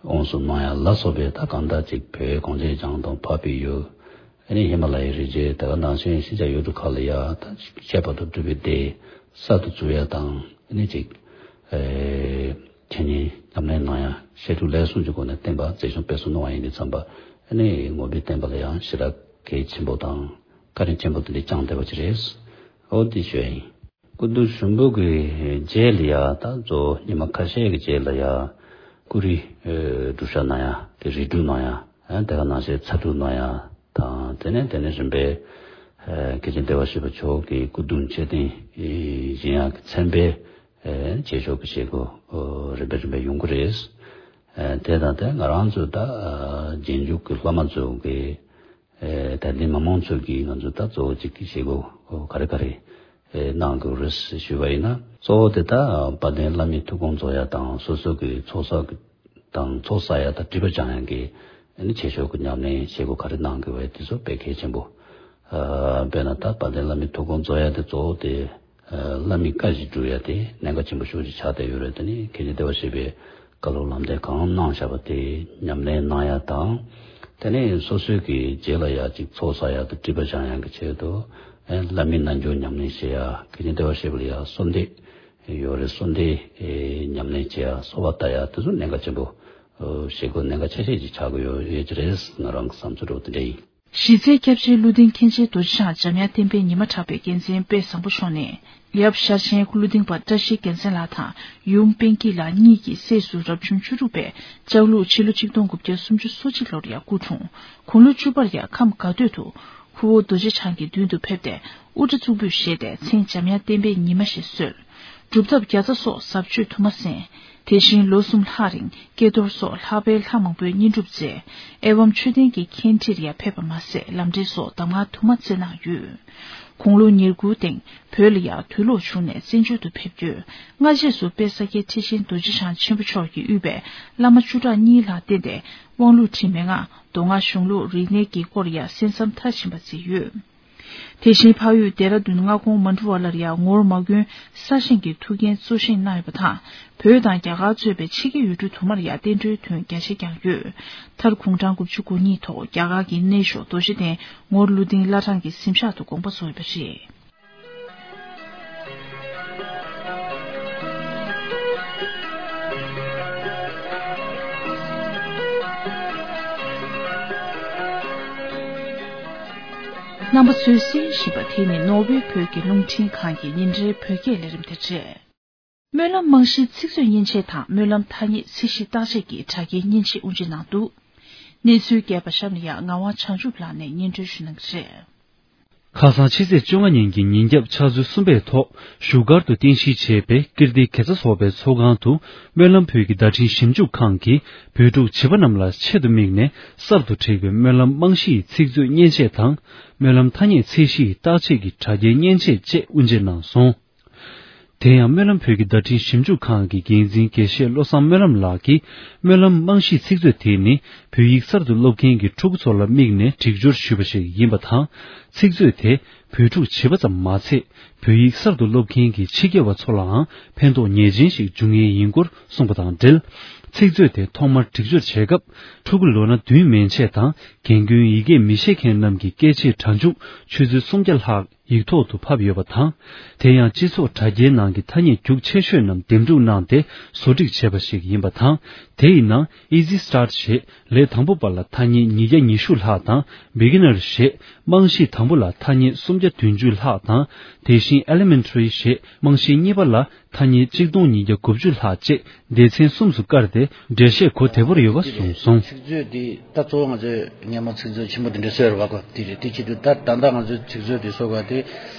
དབང་གསུམ་གནང་ཡ་ལ་སོགས་པའི་ད་གང་ལྟར་ཅིག་བོད་གངས་ཅན་ལྗོངས་དང་འཕགས་པའི་ཡུལ། ཨ་ནི་ཧི་མ་ལ་ཡའི་རི་རྒྱུད། དེ་ག་ནང་བཞིན་ཤིན་ཅང་ཡུལ་གྲུ་ཁག་ལ་ཡ་ད་ཅིག་ཁྱད་པར་དུ་གྲུབ་པའི་སྡེ་གསར་དུ་བཙུགས་ཡ་དང་། ཨ་ནི་ཅིག་ཨེ་འཆད་ཉན་ཉམས་ལེན་གནང་ཡ་བཤད་སྒྲུབ་ལས་གསུམ་གྱི་སྒོ་ནས་བསྟན་པ་འཛིན་སྐྱོང་སྤེལ་གསུམ་གནང་བ་ཡིན་དུས་ཙམ་པ། ཨ་ནི་ངོ་བོའི་བསྟན་པ་ལ་ཡང་ཞེ་དྲག་གལ་ཆེན་པོ་དང་བཀའ་དྲིན་ཆེན་པོ་དེ་འདྲ་བསྐྱངས་བསྡད་པ་ཅིག་རེད། འོ་དེ་ཞུ་ཡ་ཡིན། སྐུ་གདུང་ཞུགས་འབུལ་གྱི་རྗེས་ལ་ཡ་ད་གཙོ་བོ་ཉི་མ་ཁ་ཤས་ཀྱི་རྗེས་ལ་ཡ་སྐུ་རིའི་ཨེ་སྒྲུབ་ཞག་གནང་ཡ། དེ་རིལ་སྒྲུབ་གནང་ཡ། ཨེ་དེ་ག་ནང་བཞིན་ཚ་སྒྲུབ་གནང་ཡ་དང་། དེ་ནས་དེ་ནས་རིམ་པས་ཨེ་མཁན་ཆེན་བདེ་བར་གཤེགས་པ་མཆོག་གི་སྐུ་གདུང་མཆོད་རྟེན་བཞེངས་ཡ་གི་མཚན་དཔེ་ཨེ་ཆོས་ཕྱོགས་ཀྱི་བྱེད་སྒོ་ཨོ་རིམ་པས་རིམ་པས་ཡོང་གི་རེད། ཨེ་དེ་དང་དེ་ང་རང་ཚོ་ད་ཨ་རྗེས་འཇུག་གི་སློབ་མ་ཚོ་གི་ཨེ་དད་ལྡན་མི་མང་ཚོས་ཀྱིས་ང་ཚོ་ད་གཙོ་བོ་གཅིག་གི་བྱེད་སྒོ་ག་རེ་ག་རེ་ཨེ་གནང་དགོས་རེད་ཞུས་པ་ཡིན་ན། གཙོ་བོ་དེ་ད་དཔལ་ལྡན་བླ་མའི་ཐུགས་དགོངས་རྫོགས་ཡ་དང་། སོ་སོ་གི་ཚོགས་བསགས་དང་ཚོགས་བསགས་ཡ་དང་སྒྲིབ་པ་སྦྱང་ཡ་གི་ཨ་ནི་ཆོས་ཕྱོགས་ཀྱི་ཉམས་ལེན་བྱེད་སྒོ་ག་རེ་གནང་དགོས་པ་དེ་ཚོ་དཔེ་གལ་ཆེན་པོ། ཨ་དཔེར་ན་ད་དཔལ་ལྡན་བླ་མའི་ཐུགས་དགོངས་རྫོགས་ཡ་དེ་གཙོ་བོ་དེ་ཨ་བླ་མའི་བཀའ་བཞིན་སྒྲུབ་ཡ་དེ་གནད་འགག་ཆེན་པོ་ཤོས་ཅིག་ཆགས་བསྡད་ཡོད་རེད། དེ་ནི་མཁན་ཆེན་བདེ་བར་གཤེགས་པའི་བཀའ་སློབ་ལམ་སྟོན་གང་གནང་བཞག་པ་དེ་ཉམས་ལེན་གནང་ཡ་དང་། དེ་ནས་སོ་སོའི་གི་རྗེས་ལ་ཡ་ཅིག་ཚོགས་བསགས་ཡ་དང་སྒྲིབ་པ་སྦྱང་ཡ་གི་ཆེད་དུ་ཨེ་བླ་མའི་རྣལ་འབྱོར་ཉམས་ལེན་བྱེད་ཡ། མཁན་ཆེན་བདེ་བར་གཤེགས་པ་ལ་ཡ་གསོལ་འདེབས་ཡོད་རེད། གསོལ་འདེབས་ཨེ་ཉམས་ལེན་བྱེད་ཡ། གསོལ་བ་བཏབ་ཡ། དེ་ཚོ་གནད་འགག་ཆེན་པོ་ཨོ་བྱེད་སྒོ་གནད་འགག་ཆེ་ཤོས་ཅིག་ཆགས་ཀྱི་ཡོད་ཡོད་ཀྱི་རེད། ང་རང་གི་བསམ་ཚུལ་འདྲ་བོ་དེ་འདྲ་ཡིན། གཞི་རྩའི་སྐྱབས་རྗེ་ཀླུ་ལྡིང་མཁན་ཆེན་རྡོ་རྗེ་འཆང་འཇམ་དབྱངས་བསྟན་པའི་ཉི་མ་གྲགས་པའི་རྒྱལ་མཚན་དཔལ་བཟང་པོ་མཆོག་ནས། ཡབ་ཤར་ཆེན་ཀླུ་ལྡིང་པ་བཀྲ་ཤིས་རྒྱལ་མཚན་ལགས་དང་ཡུམ་པཎ་སྐྱིད་ལགས་གཉིས་ཀྱི་སྲས་སུ་རབ་བྱུང་བཅུ་དྲུག་པའི་ལྕགས་ལུག་ཕྱི་ལོ་ཆིག་སྟོང་དགུ་བརྒྱ་སུམ་ཅུ་སོ་གཅིག་ལོར་ཡར་སྐུ་འཁྲུངས། དགུང་ལོ་བཅུ་པར་ཡང་ཁམས་དགའ་སྟོད་དུ་ཁུ་བོ་རྡོ་རྗེ་འཆང་གི་མདུན་དུ་ཕེབས་ཏེ་དབུ་སྐྲ་གཙུག་ཕུད་བཞེས་ཏེ་མཚན་འཇམ་དབྱངས་བསྟན་པའི་ཉི་མ་ཞེས་གསོལ། སྒྲུབ་ཐབས་བརྒྱ་རྩ་སོགས་ཟབ་ཆོས་དུ་མ་གསན། དེ་བཞིན་ལོ་གསུམ་ལྷག་རིང་ཀྱེ་རྡོར་སོགས་ལྷག་པའི་ལྷ་མང་པོའི་བསྙེན་སྒྲུབ་མཛད། ཨེ་ཝཾ་མཆོད་རྟེན་གྱི་མཁན་ཁྲིར་ཡང་ཕེབས་པ་མ་ཟད་ལམ་འབྲས་སོགས་གདམས་ངག་དུ་མ་སྩལ་གནང་ཡོད། དགུང་ལོ་ཉེར་དགུའི་སྟེང་བོད་ལ་ཡང་དུས་ལོག་བྱུང་ནས་བཙན་བྱོལ་དུ་ཕེབས་ཡོད། སྔ་རྗེས་སུ་དཔལ་ས་སྐྱའི་ཁྲི་ཆེན་རྡོ་རྗེ་འཆང་ཆེན་པོ་མཆོག་གིས་དབུས་པའི་བླ་མ་བཅུ་ཕྲག་གཉིས་ལ་བརྟེན་ཏེ་དབང་ལུང་ཁྲིད་མན་ངག་མདོ་སྔགས་གཞུང་ལུགས་རིག་གནས་ཀྱི་སྐོར་ཡང་གསན་བསམ་མཐར་ཕྱིན་པ་མཛད་ཡོད། དེ་བཞིན་འཕགས་ཡུལ་ལྡེ་ར་ལྡུན་སྔ་དགོང་མ་འབྲུ་བ་ལར་ཡང་ངོར་མ་དགོན་གསར་བཞེངས་ཀྱི་ཐུགས་འགན་གཙོ་བཞེས་གནང་ཡོད་པ་དང་། བོད་དང་རྒྱ་གར་གཙོས་པའི་ཕྱི་རྒྱལ་ཡུལ་གྲུ་དུ་མར་ཡང་བསྟན་འགྲོའི་དོན་རྒྱ་ཆེ་བསྐྱངས་ཡོད། མཐར་དགུང་གྲངས་དགུ་བཅུ་གོ་གཉིས་ཐོག་རྒྱ་གར་གྱི་གནས་མཆོག་རྡོ་རྗེ་གདན་ངོར་ཀླུ་ལྡིང་བླ་བྲང་གི་གཟིམ་ཤག་ཏུ་དགོངས་པ་རྫོགས་ཡོད་པ་རེད། རྣམ་པ་ཚོས་གསན་བཞིན་པ་དེ་ནི་ནོར་ཝེ་བོད་ཀྱི་རླུང་འཕྲིན་ཁང་གི་ཉིན་རེའི་བོད་སྐད་ལས་རིམ་དེ་རེད། སྨོན་ལམ་རྨང་གཞིའི་ཚིག་མཛོད་མཉེན་ཆས་དང་སྨོན་ལམ་ཐ་སྙད་ཚད་གཞི་བརྟག་དཔྱད་ཀྱི་དྲ་རྒྱའི་མཉེན་ཆས་དབུ་འབྱེད་གནང་འདུག་གནས་ཚུལ་རྒྱས་པ་གཤམ་ལ་ཡང་ངག་དབང་བྱང་ཆུབ་ལགས་ནས་སྙན་སྒྲོན་ཞུ་གནང་གི་རེད། ཁ་སང་ཕྱི་ཚེས་བཅོ་ལྔ་ཉིན་གྱི་ཉིན་རྒྱབ་ཕྱག་ཚོད་གསུམ་པའི་ཐོག་བཞུགས་སྒར་དུ་རྟེན་གཞི་བྱས་པའི་ཀིརྟི་དགེ་རྩ་ཚོགས་པའི་ཚོགས་ཁང་དུ་སྨོན་ལམ་བོད་ཀྱི་བརྡ་འཕྲིན་ཞིབ་འཇུག་ཁང་གིས་བོད་ཕྲུག་བྱིས་པ་རྣམས་ལ་ཆེད་དུ་དམིགས་ནས་གསར་དུ་བསྒྲིགས་པའི་སྨོན་ལམ་རྨང་གཞིའི་ཚིག་མཛོད་མཉེན་ཆས་དང་སྨོན་ལམ་ཐ་སྙད་ཚད་གཞིའི་བརྟག་དཔྱད་ཀྱི་དྲ་རྒྱའི་མཉེན་ཆས་བཅས་དབུ་འབྱེད་གནང་སོང་། དེ་ཡང་སྨོན་ལམ་བོད་ཀྱི་བརྡ་འཕྲིན་ཞིབ་འཇུག་ཁང་གི་འགན་འཛིན་དགེ་བཤེས་བློ་བཟང་སྨོན་ལམ་ལགས་ཀྱིས་སྨོན་ལམ་རྨང་གཞིའི་ཚིག་མཛོད་དེ་ནི་བོད་ཡིག་གསར་དུ་སློབ་མཁན་གྱི་ཕྲུ་གུ་ཚོ་ལ་དམིགས་ནས་སྒྲིག་སྦྱོར་ཞུས་པ་ཞིག་ཡིན་པ་དང་། ཚིག་མཛོད་དེ་བོད་ཕྲུག་བྱིས་པ་ཙམ་མ་ཚད་བོད་ཡིག་གསར་དུ་སློབ་མཁན་གྱི་ཕྱི་རྒྱལ་བ་ཚོ་ལའང་ཕན་ཐོགས་ངེས་ཅན་ཞིག་འབྱུང་ངེས་ཡིན་སྐོར་གསུངས་པ་དང་འབྲེལ། ཚིག་མཛོད་དེ་ཐོག་མར་སྒྲིག་སྦྱོར་བྱས་སྐབས་ཕྲུ་གུ་ལོ་ན་བདུན་མན་ཆད་དང་རྒན་རྒོན་ཡི་གེ་མི་ཤེས་མཁན་རྣམས་ཀྱི་སྐད་ཆའི་སྒྲ་འཇུག་ཆུ་ཚོད་སུམ་བརྒྱ་ལྷག་ཡིག་ཐོག་ཏུ་ཕབ་ཡོད་པ་དང་། དེ་ཡང་སྤྱི་ཚོགས་དྲ་རྒྱའི་ནང་གི་ཐ་སྙད་རྒྱུགས་ཆེ་ཤོས་རྣམས་འདེམས་སྒྲུག་གནང་སྟེ་བཟོ་སྒྲིག་བྱས་པ་ཞིག་ཡིན་པ་དང་། དེ་ཡི་ནང་Easy Start ཞེས་ལས་དང་པོ་པ་ལ་ཐ་སྙད་ཉིས་བརྒྱ་ཉི་ཤུ་ལྷག་དང་། Beginner ཞེས་རྨང་གཞི་དང་པོ་ལ་ཐ་སྙད་སུམ་བརྒྱ་བདུན་ཅུ་ལྷག་དང་། དེ་བཞིན་Elementary ཞེས་རྨང་གཞི་གཉིས་པ་ལ་ཐ་སྙད་གཅིག་སྟོང་ཉིས་བརྒྱ་དགུ་བཅུ་ལྷག་བཅས་སྡེ་ཚན་གསུམ་དུ་བཀར་ཏེ་འགྲེལ་བཤད་གོ་བདེ་པོར་ཡོད་པ་གསུངས་སོང་། ཚིག་མཛོད་འདི་ད་གཙོ་བོ་ང་ཚོས་སྔ་མོ་ཚིག་མཛོད་ཆེན་པོ་འདི་འདྲ་བཟོས་ཡོད་རེད་པ་གོ། དེ་རེད། དེ་ཆེད་དུ་ད་ད་ལྟ་ང་ཚོས་ཚིག་མཛོད་འདི་བཟོ་དགོས་དེ་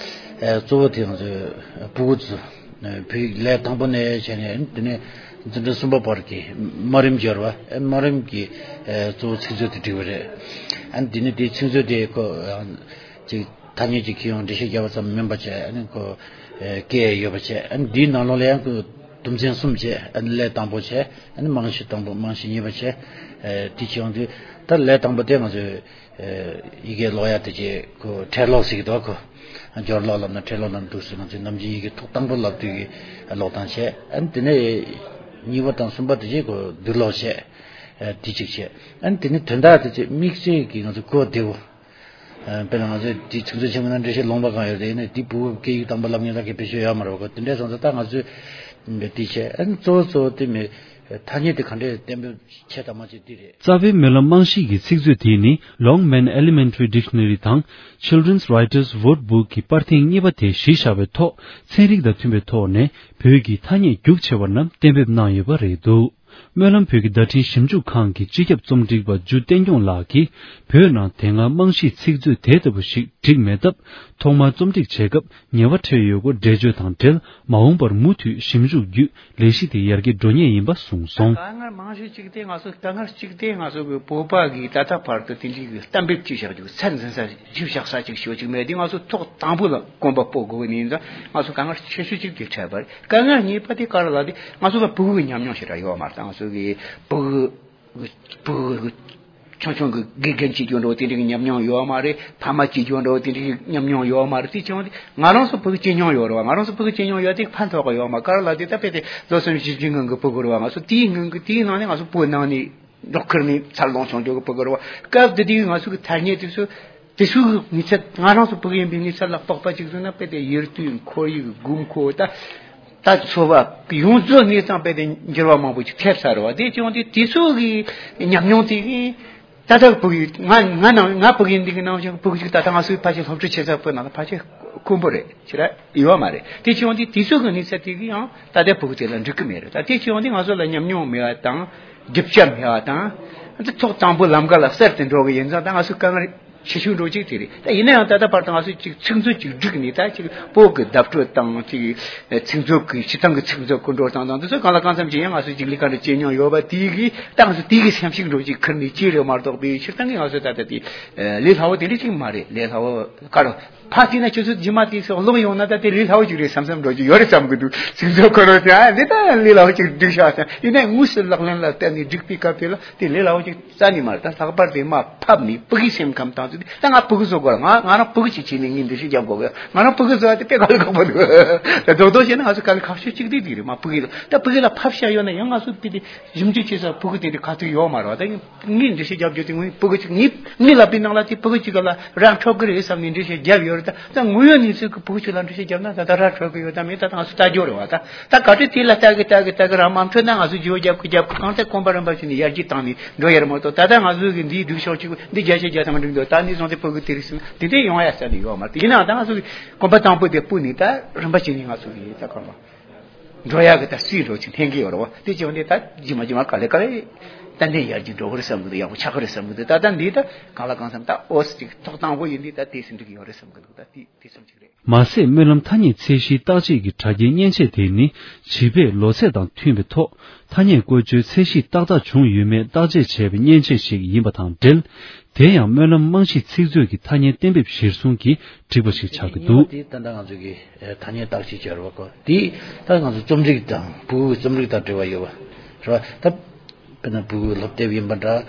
ཨ་གཙོ་བོ་དེ་ང་ཚོས་ཕྲུ་གུ་ཚོ་བོད་ཡིག་ལས་དང་པོ་ནས་བྱས་ནས་དེ་ནས་འཛིན་གྲྭ་གསུམ་པ་བར་གྱི་དམའ་རིམ་སྦྱོར་བ་དམའ་རིམ་གྱི་ཨ་གཙོ་བོ་ཚིག་མཛོད་དེ་བྲིས་པ་རེད། ཨ་ནི་དེ་ནས་དེ་ཚིག་མཛོད་དེ་ཁོ་ཅིག་ཐ་སྙད་ཅིག་ཁྱེར་ཡོང་འགྲེལ་བཤད་རྒྱབ་པ་ཙམ་མིན་པ་བྱས། ཨ་ནི་ཁོ་ཨ་སྐད་ཡོད་པ་བྱས། ཨ་ནི་འདིའི་ནང་ལོགས་ལ་ཡང་ཁོ་དུམ་ཚན་གསུམ་བྱས། ཨ་ནི་ལས་དང་པོ་བྱས། ཨ་ནི་རྨང་གཞི་དང་པོ་རྨང་གཞི་གཉིས་པ་བྱས། ཨ་དེ་བྱས་ཡོང་དུས་ད་ལས་དང་པོ་དེ་ང་ཚོས་ཨ་ཡི་གེ་ཀློག་ཡ་དེ་བྱས་ཁོ་ཕྲད་ཀློག་ཟེར་གྱི་འདུག་ཁོ་སྦྱོར་ཀློག་ལབ་ན་ཕྲད་ཀློག་ལབ་འདུག་ཟེར། ང་ཚོས་ནམ་རྒྱུན་ཡི་གེ་ཐོག་དང་པོ་ལབ་དུས་ཀྱི་ཀློག་སྟངས་བྱས། ཨ་ནི་དེ་ནས་གཉིས་པ་དང་གསུམ་པ་དེ་བྱས་ཁོ་བསྡུར་ཀློག་བྱས། ཨ་དེ་གཅིག་བྱས། ཨ་ནི་དེ་ནས་དོན་དག་དེ་བྱས་དམིགས་བསལ་གྱི་ང་ཚོ་གོ་བདེ་བོ། ཨ་དཔེར་ན་ང་ཚོས་དེ་ཚིག་མཛོད་ཆེན་མོ་ནང་འགྲེལ་བཤད་ལུང་པ་གང་ཡོད་རེད། ཡིན་ནའི་དེ་བོད་སྐད་ཡིག་དང་པོ་ལབ་མཁན་ལ་གི་བེད་སྤྱོད་ཡོད་མ་རེད་པ་གོ། དེ་འདྲ་སོང་ཙང་ད་ང་ཚོས་དེ་བྱས། ཨ་ནི་གཙོ་བོ་གཙོ་བོ་དེ་མི་ཐ་སྙད་དེ་ག་འདྲས་གཏན་འབེབས་བྱས་དང་མ་བྱས་དེ་རེད། རྩ་བའི་སྨོན་ལམ་རྨང་གཞི་གི་ཚིག་མཛོད་དེ་ནི་Longman Elementary Dictionary དང་Children's Writers Word Book གི་པར་ཐེངས་གཉིས་པ་དེ་གཞི་བཞག་པའི་ཐོག་ཚན་རིག་དང་མཐུན་པའི་ཐོག་ནས་བོད་ཀྱི་ཐ་སྙད་རྒྱུགས་ཆེ་བ་རྣམས་གཏན་འབེབས་གནང་ཡོད་པ་རེད་འདུག་སྨོན་ལམ་བོད་ཀྱི་བརྡ་འཕྲིན་ཞིབ་འཇུག་ཁང་གི་སྤྱི་ཁྱབ་རྩོམ་སྒྲིག་པ་འཇུ་བསྟན་སྐྱོང་ལགས་ཀྱིས་བོད་ནང་དེ་སྔ་རྨང་གཞིའི་ཚིག་མཛོད་དེ་ལྟ་བུ་ཞིག་བསྒྲིགས་མེད་སྟབས། ཐོག་མར་རྩོམ་སྒྲིག་བྱེད་སྐབས་ཉེས་པ་འཕྲད་ཡོད་སྐོར་འགྲེལ་བརྗོད་དང་འབྲེལ། མ་འོངས་པར་མུ་མཐུད་ཞིབ་འཇུག་བརྒྱུད་ལས་གཞི་དེ་ཡར་རྒྱས་འགྲོ་ངེས་ཡིན་པ་གསུངས་སོང་། དཀའ་ངལ་རྨང་གཞི་གཅིག་དེ་ང་ཚོ་དཀའ་ངལ་གཅིག་དེ་ང་ཚོ་གི་བོད་པ་གིས་ད་ལྟ་བར་དུ་དེ་འདྲའི་གི་གཏན་འབེབས་ཅིག་བཞག་རྒྱུ་ཚད་འཛིན་ས་ཞིབ་བཞག་ས་ཅིག་ཤོད་ཅིག་མེད། དེ་ང་ཚོ་ཐོག་དང་པོ་ལ་གོམ་པ་སྤོ་དགོས་ནི་ཡིན་ཙང་ང་ཚོ་དཀའ་ངལ་ཆེ་ཤོས་གཅིག་དེ་འཕྲད་པ་རེད། དཀའ་ངལ་གཉིས་པ་དེ་ག་རེ་ལབ་དེ་ང་ཚོ་ལ་ཕྲུ་གུ་གི་ཉམས་མྱོང་ཞེ་དྲག་ཡོད་མ་རེད། ད་ང་ཚོ་གི་ཕྲུ་གུ་ཕྲུ་གུ་ཆུང་ཆུང་གི་དགེ་རྒན་བྱེད་རྒྱུ་འདྲ་བོ་དེ་འདྲའི་ཉམས་མྱོང་ཡོད་མ་རེད། ཕ་མ་བྱེད་རྒྱུ་འདྲ་བོ་དེ་འདྲའི་ཉམས་མྱོང་ཡོད་མ་རེད། དེ་བྱུང་དེ་ང་རང་ཚོ་ཕྲུ་གུ་བྱེད་མྱོང་ཡོད་རེད་བ། ང་རང་ཚོ་ཕྲུ་གུ་བྱེད་མྱོང་ཡོད་དེ་ཕན་ཐོགས་ཀྱི་ཡོད་མ། ག་རེ་ལབ་དེ་ད་དཔེ་དེ་ལོ་གསུམ་བཞི་བཅུའི་སྔོན་གྱི་ཕྲུ་གུ་རེད་བ། ང་ཚོ་དེའི་སྔོན་གྱི་དེའི་ནང་ནས་ང་ཚོ་བོད་ནང་ནས་འབྲོག་ཁུལ་ནས་འཚར་ལོངས་བྱུང་རྒྱུ་གི་ཕྲུ་གུ་རེད་བ། སྐབས་དེ་དུས་ང་ཚོ་གི་ཐ་སྙད་དེ་ཚོ་དེ་ཚོའི་གི་ངེས་ཚད། ང་རང་ཚོ་ཕྲུ་གུ་ཡིན་པའི་ངེས་ཚད་ལ་དཔག་པ་ཅིག་བཟོས་ན་དཔེ་དེ་ཡུལ་དུས་ཁོར་ཡུག་དགོས་མཁོ་ད། ད་འཚོ་བ་ཡོངས་རྫོགས་ནས་ཙང་དཔེ་དེ་འགྱུར་བ་མང་པོ་ཅིག་ཐེབས་ཚར་བ་དེ་བྱུང་དུས་དེ་ཚོ་གི་ཉམས་མྱོང་དེ་གི་ད་ལྟ་ཕྲུ་གུ་ང་ང་ནང་ང་ཕྲུ་གུ་ཡིན་དུས་ཀྱི་ནང་བཞིན་ཕྲུ་གུ་ཅིག་ད་ལྟ་ང་ཚོའི་ཕལ་ཆེར་སློབ་ཕྲུག་ཆེ་ས་ཕྲུ་གུ་ནང་ལ་ཕལ་ཆེར་དཀོན་པོ་རེད་ཅི་ར་ཡོད་མ་རེད། དེ་བྱུང་དུས་དེ་ཚོ་གི་ངེས་ཚད་དེ་གི་ཡང་ད་ལྟ་ཕྲུ་གུ་དེ་ལ་འགྲིག་གི་མེད་རེད། ད་དེ་བྱུང་དུས་ང་ཚོ་ལ་ཉམས་མྱོང་མེད་པ་དང་རྒྱུ་ཆ་མེད་པ་དང་། ད་ཐོག་དང་པོ་ལམ་ཁ་ལ་གསར་དུ་འགྲོ་གི་ཡིན་ཙང་ད་ང་ཚོ་དཀའ་ངལ་ཆེ་ཤོས་འགྲོ་གཅིག་དེ་རེད། ད་ཡིན་ན་ཡང་ད་ལྟ་བར་དུ་ང་ཚོས་ཅིག་ཚིག་མཛོད་ཅིག་བསྒྲིགས་ནས་ད་ཅིག་བོད་ཀྱི་བརྡ་སྤྲོད་དང་ཅིག་ཚིག་མཛོད་ཀྱི་སྤྱི་བཏང་གི་ཚིག་མཛོད་སྐུ་འགྲོ་སྟངས་དང་འདི་ཚོ་གང་ལ་གང་འཚམ་ཅིག་ཡང་ང་ཚོས་ཅིག་ལས་ཀ་འདྲ་བྱེད་མྱོང་ཡོད་པ་དེ་གིས་ད་ང་ཚོ་དེ་གི་སེམས་ཤུགས་འགྲོ་ཅིག་ཁུར་ནས་ཅི་རེད་མ་གཏོགས་པའི་སྤྱིར་བཏང་གི་ང་ཚོ་ད་ལྟ་དེ་ལས་སླ་བོ་དེ་འདྲ་ཅིག་མ་རེད། ལས་སླ་བོ་ག་རེ་ཕ་དེ་ན་ཁྱོད་ཚོ་རྗེས་མ་དེ་ཚོ་ཀློག་ཡོང་ན་ད་དེ་ལས་སླ་བོ་ཅིག་རེད་བསམ་བསམ་འགྲོ་ཅིག་ཡོད་རེད་བསམ་གི་འདུག་ཚིག་མཛོད་ཁོ་རང་ཅང་འདི་ད་ལས་སླ་བོ་ཅིག་བསྒྲིགས་ཤག་ཡིན་ནའི་དངོས་སུ་ལག་ལེན་ལ་བསྟར་ནས་བསྒྲིགས་པའི་སྐབས་དེ་ལ་དེ་ལས་སླ་བོ་ཅིག་རྩ་ནས་མ་རེད། ད་ལྷག་པར་དུ་མར་ཕབ་ནས་ཕྲུ་གུའི་སེམས་ཁམས་དང་ཚུལ་དེ་ད་ང་ཕྲུ་གུ་བཟོ་དགོས་ང་ང་རང་ཕྲུ་གུ་ཅིག་བྱས་ནས་ངས་འགྲེལ་བཤད་རྒྱབ་དགོས་ང་རང་ཕྲུ་གུ་བཟོ་བ་དེ་དཔེ་དཀའ་ལས་ཁག་པོ་འདུག་ད་རྡོག་རྡོག་བྱས་ན་ང་ཚོ་དཀའ་ལས་ཁག་ཤོས་གཅིག་དེ་དེ་རེད། མར་ཕྲུ་གུ་ལ་ད་ཕྲུ་གུ་ལ་ཕབ་བཞག་ཡོད་ན་ཡང་ང་ཚོ་དཔེ་དེ་ཞིབ་འཇུག་བྱེད་ས་ཕྲུ་གུ་དེ་འདྲ་ག་ཚོད་ཡོད་མ་རེད་བ། ད་ངས་འགྲེལ་བཤད་རྒྱབ་རྒྱུ་དེ་ངས་ཕྲུ་གུ་གཅིག་ངས་ངས་ལབ་པའི་ནང་ལ་དེ་ཕྲུ་གུ་གཅིག་ལ་ར་འཕྲོད་གི་རེད་བསམ་ནས་འགྲེལ་བཤད་རྒྱབ་ཡོད་རེད། ད་ད་དངོས་ཡོད་གནས་ཚུལ་གྱི་ཕྲུ་གུ་གཅིག་ལ་འགྲེལ་བཤད་རྒྱབ་ན་ད་ད་ར་འཕྲོད་གི་ཡོད་ད་མེད་ད་ད་ང་ཚོ་ལྟ་རྒྱུ་རེད་བ། ད་ད་ག་དུས་དེ་ལ་ལྟ་གི་ལྟ་གི་ལྟ་གི་ར་མ་འཕྲོད་ན་ང་ཚོ་བརྗོད་རྒྱབ་གི་རྒྱབ་གི་གང་ལྟར་གོམ་པ་རིམ་པ་བྱས་ནས་ཡར་རྒྱས་བཏང་ནས་འགྲོ་ཡ་རེད་མ་གཏོགས། ད་ལྟ་ང་ཚོ་གི་འདིའི་སྒྲིག་ཕྱོགས་གཅིག་པུ་འདི་བརྒྱ་ཆ་བརྒྱ་ཐམ་འགྲིག་འདུག་ད་ནས་བཟུང་སྟེ་ཕྲུ་གུ་དེ་རིགས་སུ་འདི་འདྲས་ཡོང་ཡ་ས་ནས་ཡོད་མ་རེད། ཡིན་ནའང་ད་ང་ཚོ་གི་གོམ་པ་དང་པོ་དེ་སྤོས་ནས་ད་རིམ་པ་བྱས་ནས་ང་ཚོ་གི་ད་གང་ལ་འགྲོ་ཡ་གི་ད་སུས་འགྲོ་ཅིག་འཐེན་གི་ཡོད་རེད་བ། དེ་བྱས་ནས་ད་རྗེས་མ་རྗེས་མ་ག་ལེ་ག་ལེ་ཏན་ཏན་ཡར་རྒྱས་འགྲོ་གི་རེད་བསམ་གི་འདུག་ཡག་པོ་ཆགས་གི་རེད་བསམ་གི་འདུག་ད་ལྟ་འདི་ད་གང་ལ་གང་འཚམ་ད་ཨོ་སི་ཅིག་ཐོག་དང་པོ་ཡིན་དུས་ད་དེ་སུ་འགྲིག་གི་ཡོད་རེད་བསམ་གི་འདུག་ད་དེ་དེ་ཙམ་ཅིག་རེད། མ་ཟད་སྨོན་ལམ་ཐ་སྙད་ཚད་གཞིའི་བརྟག་དཔྱད་ཀྱི་དྲ་རྒྱའི་མཉེན་ཆས་དེ་ནི་བྱིས་པའི་ལོ་ཚད་དང་མཐུན་པའི་ཐོག་ཐ་སྙད་བཀོལ་སྤྱོད་ཚད་གཞི་ཏག་ཏག་བྱུང་ཡོད་མེད་བརྟག་དཔྱད་བྱས་པའི་མཉེན་ཆས་ཤིག་ཡིན་པ་དང་འབྲེལ། དེ་ཡང་སྨོན་ལམ་རྨང་གཞི་ཚིག་མཛོད་ཀྱི་ཐ་སྙད་གཏན་འབེབས་གཞིར་བཟུང་གིས་བསྒྲིགས་པ་ཞིག་ཆགས་ཀྱི་འདུག་དེ་ད་ལྟ་ང་ཚོ་གི་ཐ་སྙད་བརྟག་དཔྱད་བྱས་རེད་བ་གོ། དེ་ད་ང་ཚོ་རྩོམ་སྒྲིག་དང་ཕྲུ་གུའི་རྩོམ་སྒྲིག་དང་འབྲེལ་བ་ཡོད་པ་རེད་བ། ད་དཔེར་ན་ཕྲུ་གུའི་སློབ་དེབ་ཡིན་པ་འདྲ་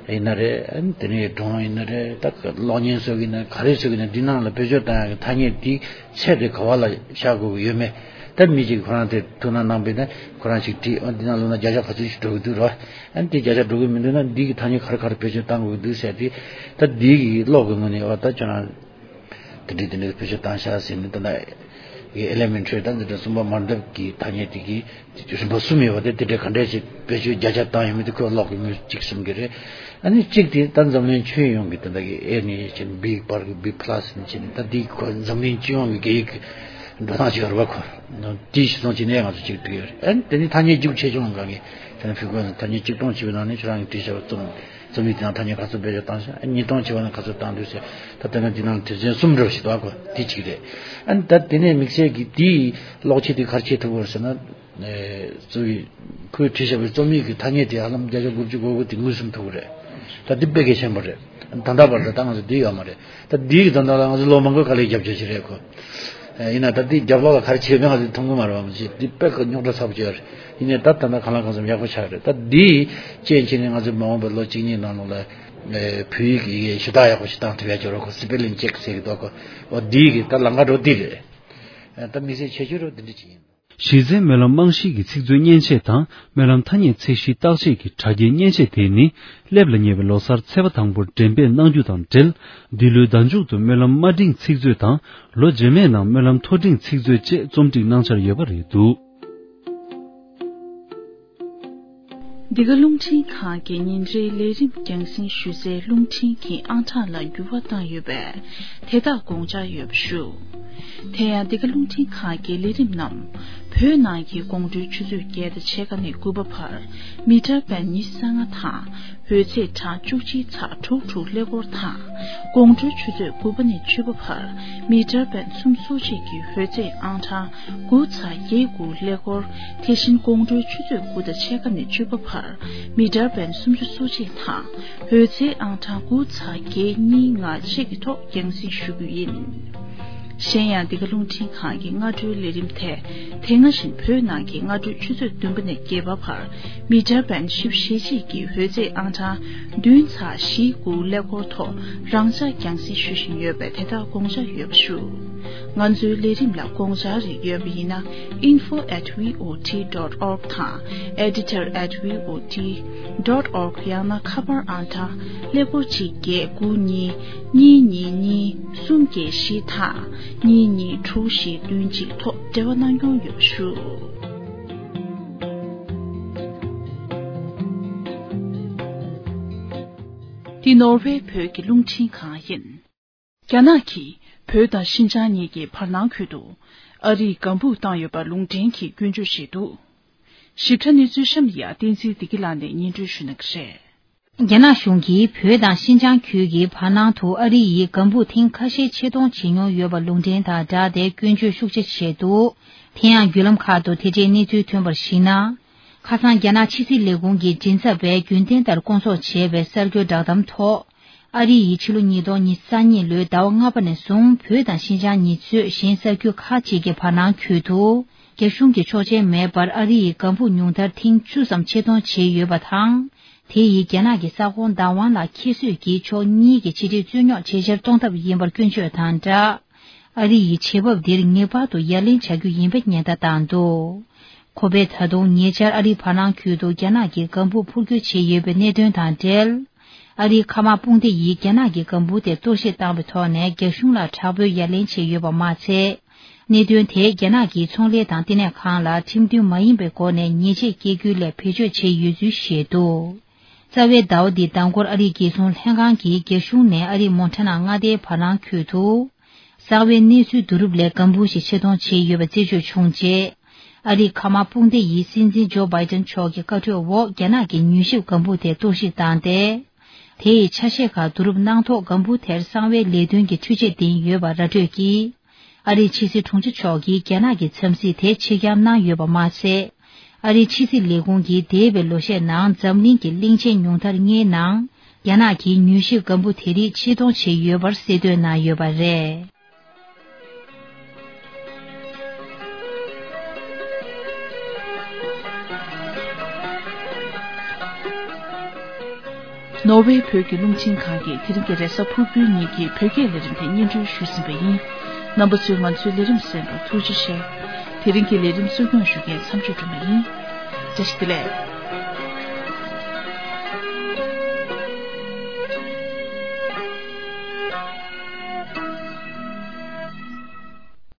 ཡིན་ན་རེད། དེ་ནས་སྒྲུང་ཡིན་ན་རེད། ད་གློག་བརྙན་བཟོ་གི་ཡིན་ན་ག་རེ་བཟོ་གི་ཡིན་ན་འདི་ནང་ལ་བེད་སྤྱོད་བཏང་ཡག་གི་ཐ་སྙད་དེ་ཚད་དེ་ག་བ་ལ་བཞག་དགོས་ཀྱི་ཡོད་མེད། ད་མི་གཅིག་ཁོ་རང་དེ་ཐུགས་སྣང་གནང་པས་ན་ཁོ་རང་ཞིག་བྲིས། ཨ་འདི་ནང་ལོ་ན་བརྒྱ་ཆ་ག་ཚོད་ཞིག་འགྲོ་གི་འདུག་རེད་བ། ཨ་འདི་བརྒྱ་ཆ་འགྲོ་གི་མི་འདུག་ན་འདི་གི་ཐ་སྙད་ག་རེ་ག་རེ་བེད་སྤྱོད་བཏང་དགོས་ཀྱི་འདུག་ཟེར་དེ་ད་འདི་གི་གློག་གི་ངོས་ནས་བ་ད་ཁྱོད་རང་ དེ་འདྲའི་དེ་འདྲའི་བེད་སྤྱོད་བཏང་ཤག་ཟེར་ནས། ད་ལྟ་ཨེ་ལེ་མེན་ཊ་རི་དང་འཛིན་གྲྭ་གསུམ་པ་མ་འདབ་ཀྱི་ཐ་སྙད་དེ་གི་རིམ་པ་གསུམ་ཡོད་པ་དེ། དེ་འདྲའི་ག་འདྲས་ཅིག་བེད་སྤྱོད་བརྒྱ་ཆ་བཏང་ཡོད་མེད་དེ་ཁོས་ཀློག་གི་ངོས་གཅིག་གསུམ་གྱི་རེད། ཨ་ནི་གཅིག་དེ་ད་འཛམ་གླིང་ཁྱོན་ཡོངས་ཀྱི་ད་ལྟ་གི་ཨེ་ནས་བྱས་ནས་བི་བར་གྱི་བི་པ་ལ་སི་ནས་བྱས་ནས། ད་འདི་ཁོ་འཛམ་གླིང་སྤྱི་ཡོངས་ཀྱི་སྐད་ཡིག་གི་འགྲོ་སྟངས་ཅིག་ཡོད་རེད་པ། ཁོ་དེའི་གཞི་བཟུང་བྱས་ནས་ང་ཚོ་གཅིག་བསྒྲིགས་ཡོད་རེད། ཨ་ནི་དེ་ནི་ཐ་སྙད་རྒྱུགས་ཆེ་ཆུང་གང་གི་ཁྱེད་རང་ཕུལ་དགོས་ན། ཐ་སྙད་གཅིག་སྟོང་བྱས་པའི་ནང་ནས་ཁྱེད་རང་གིས་བྲིས་བཞག་པ་རྩོམ། རྩོམ་ཡིག་དེ་ནང་ཐ་སྙད་ག་ཚོད་བེད་སྤྱོད་བཏང་ཤག་ཨ། ཉིས་སྟོང་བྱས་པ་ན་ག་ཚོད་བཏང་འདུག་ཟེར། ད་ལྟ་ང་འདི་ནང་དོན་ཚན་གསུམ་འདྲ་བ་ཞིག་འདུག་གོ། དེ་གཅིག་རེད། ཨ་ནི་ད་དེ་ནས་དམིགས་བསལ་གྱི་དེའི་ཀློག་བྱེད་དེ་ག་རེ་བྱེད་ཐུབ་ཀྱི་རེད་ཟེར་ན། ཨེ། གཙོ་བོའི་ཁོས་བྲིས་བཞག་པའི་རྩོམ་ཡིག་གི་ཐ་སྙད་དེ་ཧ་ལམ་བརྒྱ་ཆ་དགུ་བཅུ་གོ་དགུ་དེ་ངོས་ཟིན་ཐུབ་ཀྱི་རེད། ད་འདི་དཔེ་གལ་ཆེན་པོ་རེད། ད་ལྟ་བར་དུ་ད་ང་ཚོ་འདི་ཡོད་མ་རེད། ད་འདི་ཡི་དོན་དག་ལ་ང་ཚོ་ལོ་མང་པོའི་ག་ལེར་རྒྱབ་སྐྱོར་བྱས་རེད་ཁོ། ཨེ། ཡིན་ན་ད་འདི་རྒྱབ་ལོགས་ལ་ག་རེ་བྱས་པས་ང་ཚོས་མཐོང་གི་མ་རེད་པ། མ་གཞི་འདི་དཔེ་ཁོ་རྙོག་དྲ་ཚ་པོ་ཅིག་ཡོད་རེད། ཡིན་ནའི་ད་ད་ལྟ་གང་ལ་གང་འཚམ་ཡག་པོ་ཆགས་རེད། ད་འདི་རྐྱེན་བྱས་ནས་ང་ཚོས་མ་འོངས་པའི་ལོ་གཅིག་གཉིས་ནང་ལོགས་ལ། ཨེ། བོད་ཡིག་གི་ཞུ་དག་ཡག་པོ་ཞིག་བཏང་ཐུབ་ཡ་ཅིག་ཡོད་རེད་ཁོ། སི་པེ་ལིང་ཅེག་ཟེར་གྱི་འདུག་གོ། འོ་འདི་གི་ད་ལམ་ཁ་འགྲོ་འདི་རེད། ཨེ། ད་དམིགས་བསལ་ཁྱད་ཆོས་རོ་འདི་འདྲ་ཅིག་ཡིན། གཞི་རྩའི་སྨོན་ལམ་རྨང་གཞིའི་ཚིག་མཛོད་མཉེན་ཆས་དང་སྨོན་ལམ་ཐ་སྙད་ཚད་གཞིའི་བརྟག་དཔྱད་ཀྱི་དྲ་རྒྱའི་མཉེན་ཆས་དེ་ནི་སླེབས་ལ་ཉེ་བའི་ལོ་གསར་ཚེས་པ་དང་པོར་འགྲེམས་སྤེལ་གནང་རྒྱུ་དང་འབྲེལ། འདི་ལོའི་ཟླ་མཇུག་ཏུ་སྨོན་ལམ་དམའ་འབྲིང་ཚིག་མཛོད་དང་ལོ་རྗེས་མའི་ནང་སྨོན་ལམ་མཐོ་འབྲིང་ཚིག་མཛོད་བཅས་རྩོམ་སྒྲིག་གནང་འཆར་ཡོད་པ་རེད་འདུག། འདི་ག་རླུང་འཕྲིན་ཁང་གི་ཉིན་རེའི་ལས་རིམ་རྒྱང་སྲིང་ཞུ་སའི་རླུང་འཕྲིན་གྱི་ཨང་གྲངས་ལ་འགྱུར་བ་བཏང་ཡོད་པས། དེ་དག་དགོངས་འཇགས་ཡོད་པ་ཞུ། དེ་ཡང་འདི་ག་རླུང་འཕྲིན་ཁང་གི་ལས་རིམ་རྣམས་བོད་ནང་གི་དགོང་དྲོའི་ཆུ་ཚོད་བརྒྱད་དང་ཕྱེད་ཀ་ནས་དགུ་པ་བར་མི་ཊར་བེན་ཉི་ཤུ་རྩ་ལྔ་དང་། འོད་ཚད་གྲངས་བཅུ་གཅིག་ཚེག་དྲུག་དྲུག་ཀླད་ཀོར་དང་། དགོང་དྲོའི་ཆུ་ཚོད་དགུ་པ་ནས་བཅུ་པ་བར་མི་ཊར་བེན་སུམ་ཅུ་སོ་གཅིག་གི་འོད་ཚད་ཨང་གྲངས་དགུ་ཚེག་བརྒྱད་དགུ་ཀླད་ཀོར། དེ་བཞིན་དགོང་དྲོའི་ཆུ་ཚོད་དགུ་དང་ཕྱེད་ཀ་ནས་བཅུ་པ་བར་མི་ཊར་བེན་སུམ་ཅུ་སོ་གཅིག་དང་། འོད་ཚད་ཨང་གྲངས་དགུ་ཚེག་བརྒྱད་གཉིས་ལྔ་བཅས་ཀྱི་ཐོག་རྒྱང་སྲིང་ཞུ་རྒྱུ་ཡིན། གཞན་ཡང་འདི་ག་རླུང་འཕྲིན་ཁང་གི་སྔ་དྲོའི་ལས་རིམ་དེ། དེ་སྔ་བཞིན་བོད་ནང་གི་སྔ་དྲོའི་ཆུ་ཚོད་བདུན་པ་ནས་བརྒྱད་པ་བར་མི་ཊར་བེན་བཞི་བཅུ་ཞེ་གཅིག་གི་འོད་ཚད་ཨང་གྲངས་བདུན་ཚེག་བཞི་དགུ་ཀླད་ཀོར་ཐོག་རང་འཇགས་རྒྱང་སྲིང་ཞུ་བཞིན་ཡོད་པས། དེ་དག་དགོངས་འཇགས་ཡོད་པ་ཞུ། ང་ཚོའི་ལས་རིམ་ལ་དགོངས་འཆར་རིགས་ཡོད་པ་ཡིན་ན། info at V O T dot org དང་editor at V O T dot org། ཡང་ན་ཁ་པར་ཨང་གྲངས་ཀླད་ཀོར་གཅིག་བརྒྱད་དགུ་གཉིས་གཉིས་གཉིས་གཉིས་གསུམ་བརྒྱད་བཞི་དང་གཉིས་གཉིས་དྲུག་བཞི་བདུན་གཅིག་ཐོག་འབྲེལ་བ་གནང་སྐྱོང་ཡོད་པ་ཞུ། འདི་ནོར་ཝེ་བོད་ཀྱི་རླུང་འཕྲིན་ཁང་ཡིན། རྒྱ་ནག་གིས་བོད་དང་ཤིན་ཅང་གཉིས་ཀྱི་བར་སྣང་ཁུལ་དུ་ཨ་རིའི་ལྒང་སྦུག་བཏང་ཡོད་པར་ལུང་འདྲེན་གྱིས་སྐྱོན་བརྗོད་བྱས་འདུག། ཞིབ་ཕྲ་གནས་ཚུལ་གཤམ་ཡ་བསྟན་འཛིན་བདེ་སྐྱིད་ལགས་ནས་སྙན་སྒྲོན་ཞུ་གནང་གི་རེད། རྒྱ་ནག་གཞུང་གིས་བོད་དང་ཤིན་ཅང་ཁུལ་གྱི་བར་སྣང་དུ་ཨ་རི་ཡི་ལྒང་སྦུག་ཐེངས་ཁ་ཤས་ཆེད་གཏོང་བྱེད་མྱོང་ཡོད་པ་ལུང་འདྲེན་དང་སྦྲགས་ཏེ་སྐྱོན་བརྗོད་ཤུགས་ཆེ་བྱས་འདུག། དེ་ཡང་བརྒྱུད་ལམ་ཁག་ཏུ་དེ་འབྲེལ་གནས་ཚུལ་ཐོན་པར་གཞིགས་ན། ཁ་སང་རྒྱ་ནག་ཕྱི་སྲིད་ལས་ཁུངས་ཀྱི་མགྲིན་ཚབ་པས་རྒྱུན་ལྡན་ལྟར་སྐོང་ཚོགས་བྱས་པའི་གསར་འགྱུར་བསྒྲགས་གཏམ་ཐོག། ཨ་རི་ཡིས་ཕྱི་ལོ་ཉིས་སྟོང་ཉི་ཤུ་རྩ་གཉིས་ལོའི་ཟླ་བ་ལྔ་པ་ནས་བཟུང་བོད་དང་ཤིན་ཅང་གཉིས་གཙོས་གཞན་ས་ཁུལ་ཁག་ཅིག་གི་བར་སྣང་ཁུལ་དུ། རྒྱ་གཞུང་གི་ཆོག་མཆན་མེད་པར་ཨ་རི་ཡི་ལྒང་སྦུག་ཉུང་མཐར་ཐེངས་བཅུ་ཙམ་ཆེད་གཏོང་བྱས་ཡོད་པ་དང་། དེ་ཡིས་རྒྱ་ནག་གི་ས་ཁོངས་བདག་དབང་ལ་ཁྱད་གསོད་ཀྱིས་ཕྱོགས་གཉིས་ཀྱི་ཕྱི་འབྲེལ་རྩོད་རྙོག་ཇེ་ཆེར་གཏོང་ཐབས་ཡིན་པར་སྐྱོན་བརྗོད་དང་སྦྲགས། ཨ་རི་ཡི་བྱེད་བབ་འདིར་ངེས་པར་དུ་ཡ་ལན་བྱ་རྒྱུ་ཡིན་པའི་ཉེན་བརྡ་བཏང་འདུག། ཁོ་པས་ད་དུང་ཉེ་ཆར་ཨ་རིའི་བར་སྣང་ཁུལ་དུ་རྒྱ་ནག་གི་ལྒང་སྦུག་འཕུར་སྐྱོད་བྱས་ཡོད་པའི་གནད་དོན་དང་འབྲེལ། ཨ་རིའི་མཁའ་དམག་དཔུང་སྡེ་ཡིས་རྒྱ་ནག་གི་ལྒང་སྦུག་དེ་གཏོར་བཤིག་བཏང་བའི་ཐོག་ནས་རྒྱ་གཞུང་ལ་དྲག་པོའི་ཡ་ལན་བྱས་ཡོད་པ་མ་ཚད། གནད་དོན་དེ་རྒྱ་ནག་གི་ཚོང་ལས་དང་བསྟི་གནས་ཁང་ལ་ཁྲིམས་མཐུན་མ་ཡིན་པའི་སྒོ་ནས་ཉེས་ཆད་བཀལ་རྒྱུའི་སླད་བེད་སྤྱོད་བྱས་ཡོད་ཚུལ་བཤད་འདུག། རྩ་བའི་ཟླ་བ་འདིའི་ཟླ་འགོར་ཨ་རིའི་རྒྱལ་སྲུང་ལྷན་ཁང་གིས་རྒྱ་གཞུང་ནས་ཨ་རིའི་མོན་ཊ་ན་མངའ་སྡེའི་བར་སྣང་ཁུལ་དུ། གསང་བའི་གནས་ཚུལ་བསྡུ་རུབ་སླད་ལྒང་སྦུག་ཞིག་ཆེད་གཏོང་བྱས་ཡོད་པ་རྩད་གཅོད་བྱུང་རྗེས། ཨ་རིའི་མཁའ་དམག་དཔུང་སྡེ་ཡིས་སྲིད་འཛིན་ཇོ་བྷའི་ཏན་མཆོག་གི་བཀའ་འཁྲོལ་འོག་རྒྱ་ནག་གི་མྱུལ་ཞིབ་ལྒང་སྦུག་དེ་གཏོར་བཤིག་བཏང་སྟེ། དེ་ཡི་ཆ་ཤས་ཁག་བསྡུ་རུབ་གནང་ཐོག་ལྒང་སྦུག་དེར་གསང་བའི་ལས་དོན་གྱི་འཕྲུལ་ཆས་ལྡན་ཡོད་པ་ར་སྤྲོད་ཀྱིས། ཨ་རིའི་ཕྱི་སྲིད་དྲུང་ཆེ་མཆོག་གིས་རྒྱ་ནག་གི་འཚམས་གཟིགས་དེ་ཕྱིར་འགྱངས་གནང་ཡོད་པ་མ་ཟད། ཨ་རིའི་ཕྱི་སྲིད་ལས་ཁུངས་ཀྱིས་འདས་པའི་ལོ་ཤས་ནང་འཛམ་གླིང་གི་གླིང་ཆེན་ཉུང་མཐར་ལྔའི་ནང་། རྒྱ་ནག་གིས་མྱུལ་ཞིབ་ལྒང་སྦུག་དེ་རིགས་ཕྱིར་གཏོང་བྱས་ཡོད་པར་གསལ་སྟོན་གནང་ཡོད་པ་རེད། ནོར་ཝེ་བོད་ཀྱི་རླུང་འཕྲིན་ཁང་གིས་དེ་རིང་གི་རེས་གཟའ་ཕུར་བུའི་ཉིན་གྱི་བོད་སྐད་ལས་རིམ་དེ་སྙན་སྒྲོན་ཞུས་ཟིན་པ་ཡིན། རྣམ་པ་ཚོས་ང་ཚོའི་ལས་རིམ་གསན་པར་ཐུགས་རྗེ་ཆེ། དེ་རིང་གི་ལས་རིམ་གཙོ་སྐྱོང་ཞུ་མཁན་མཚམས་གཅོད་སྒྲོལ་མ་ཡིན། བཀྲ་ཤིས་བདེ་ལེགས།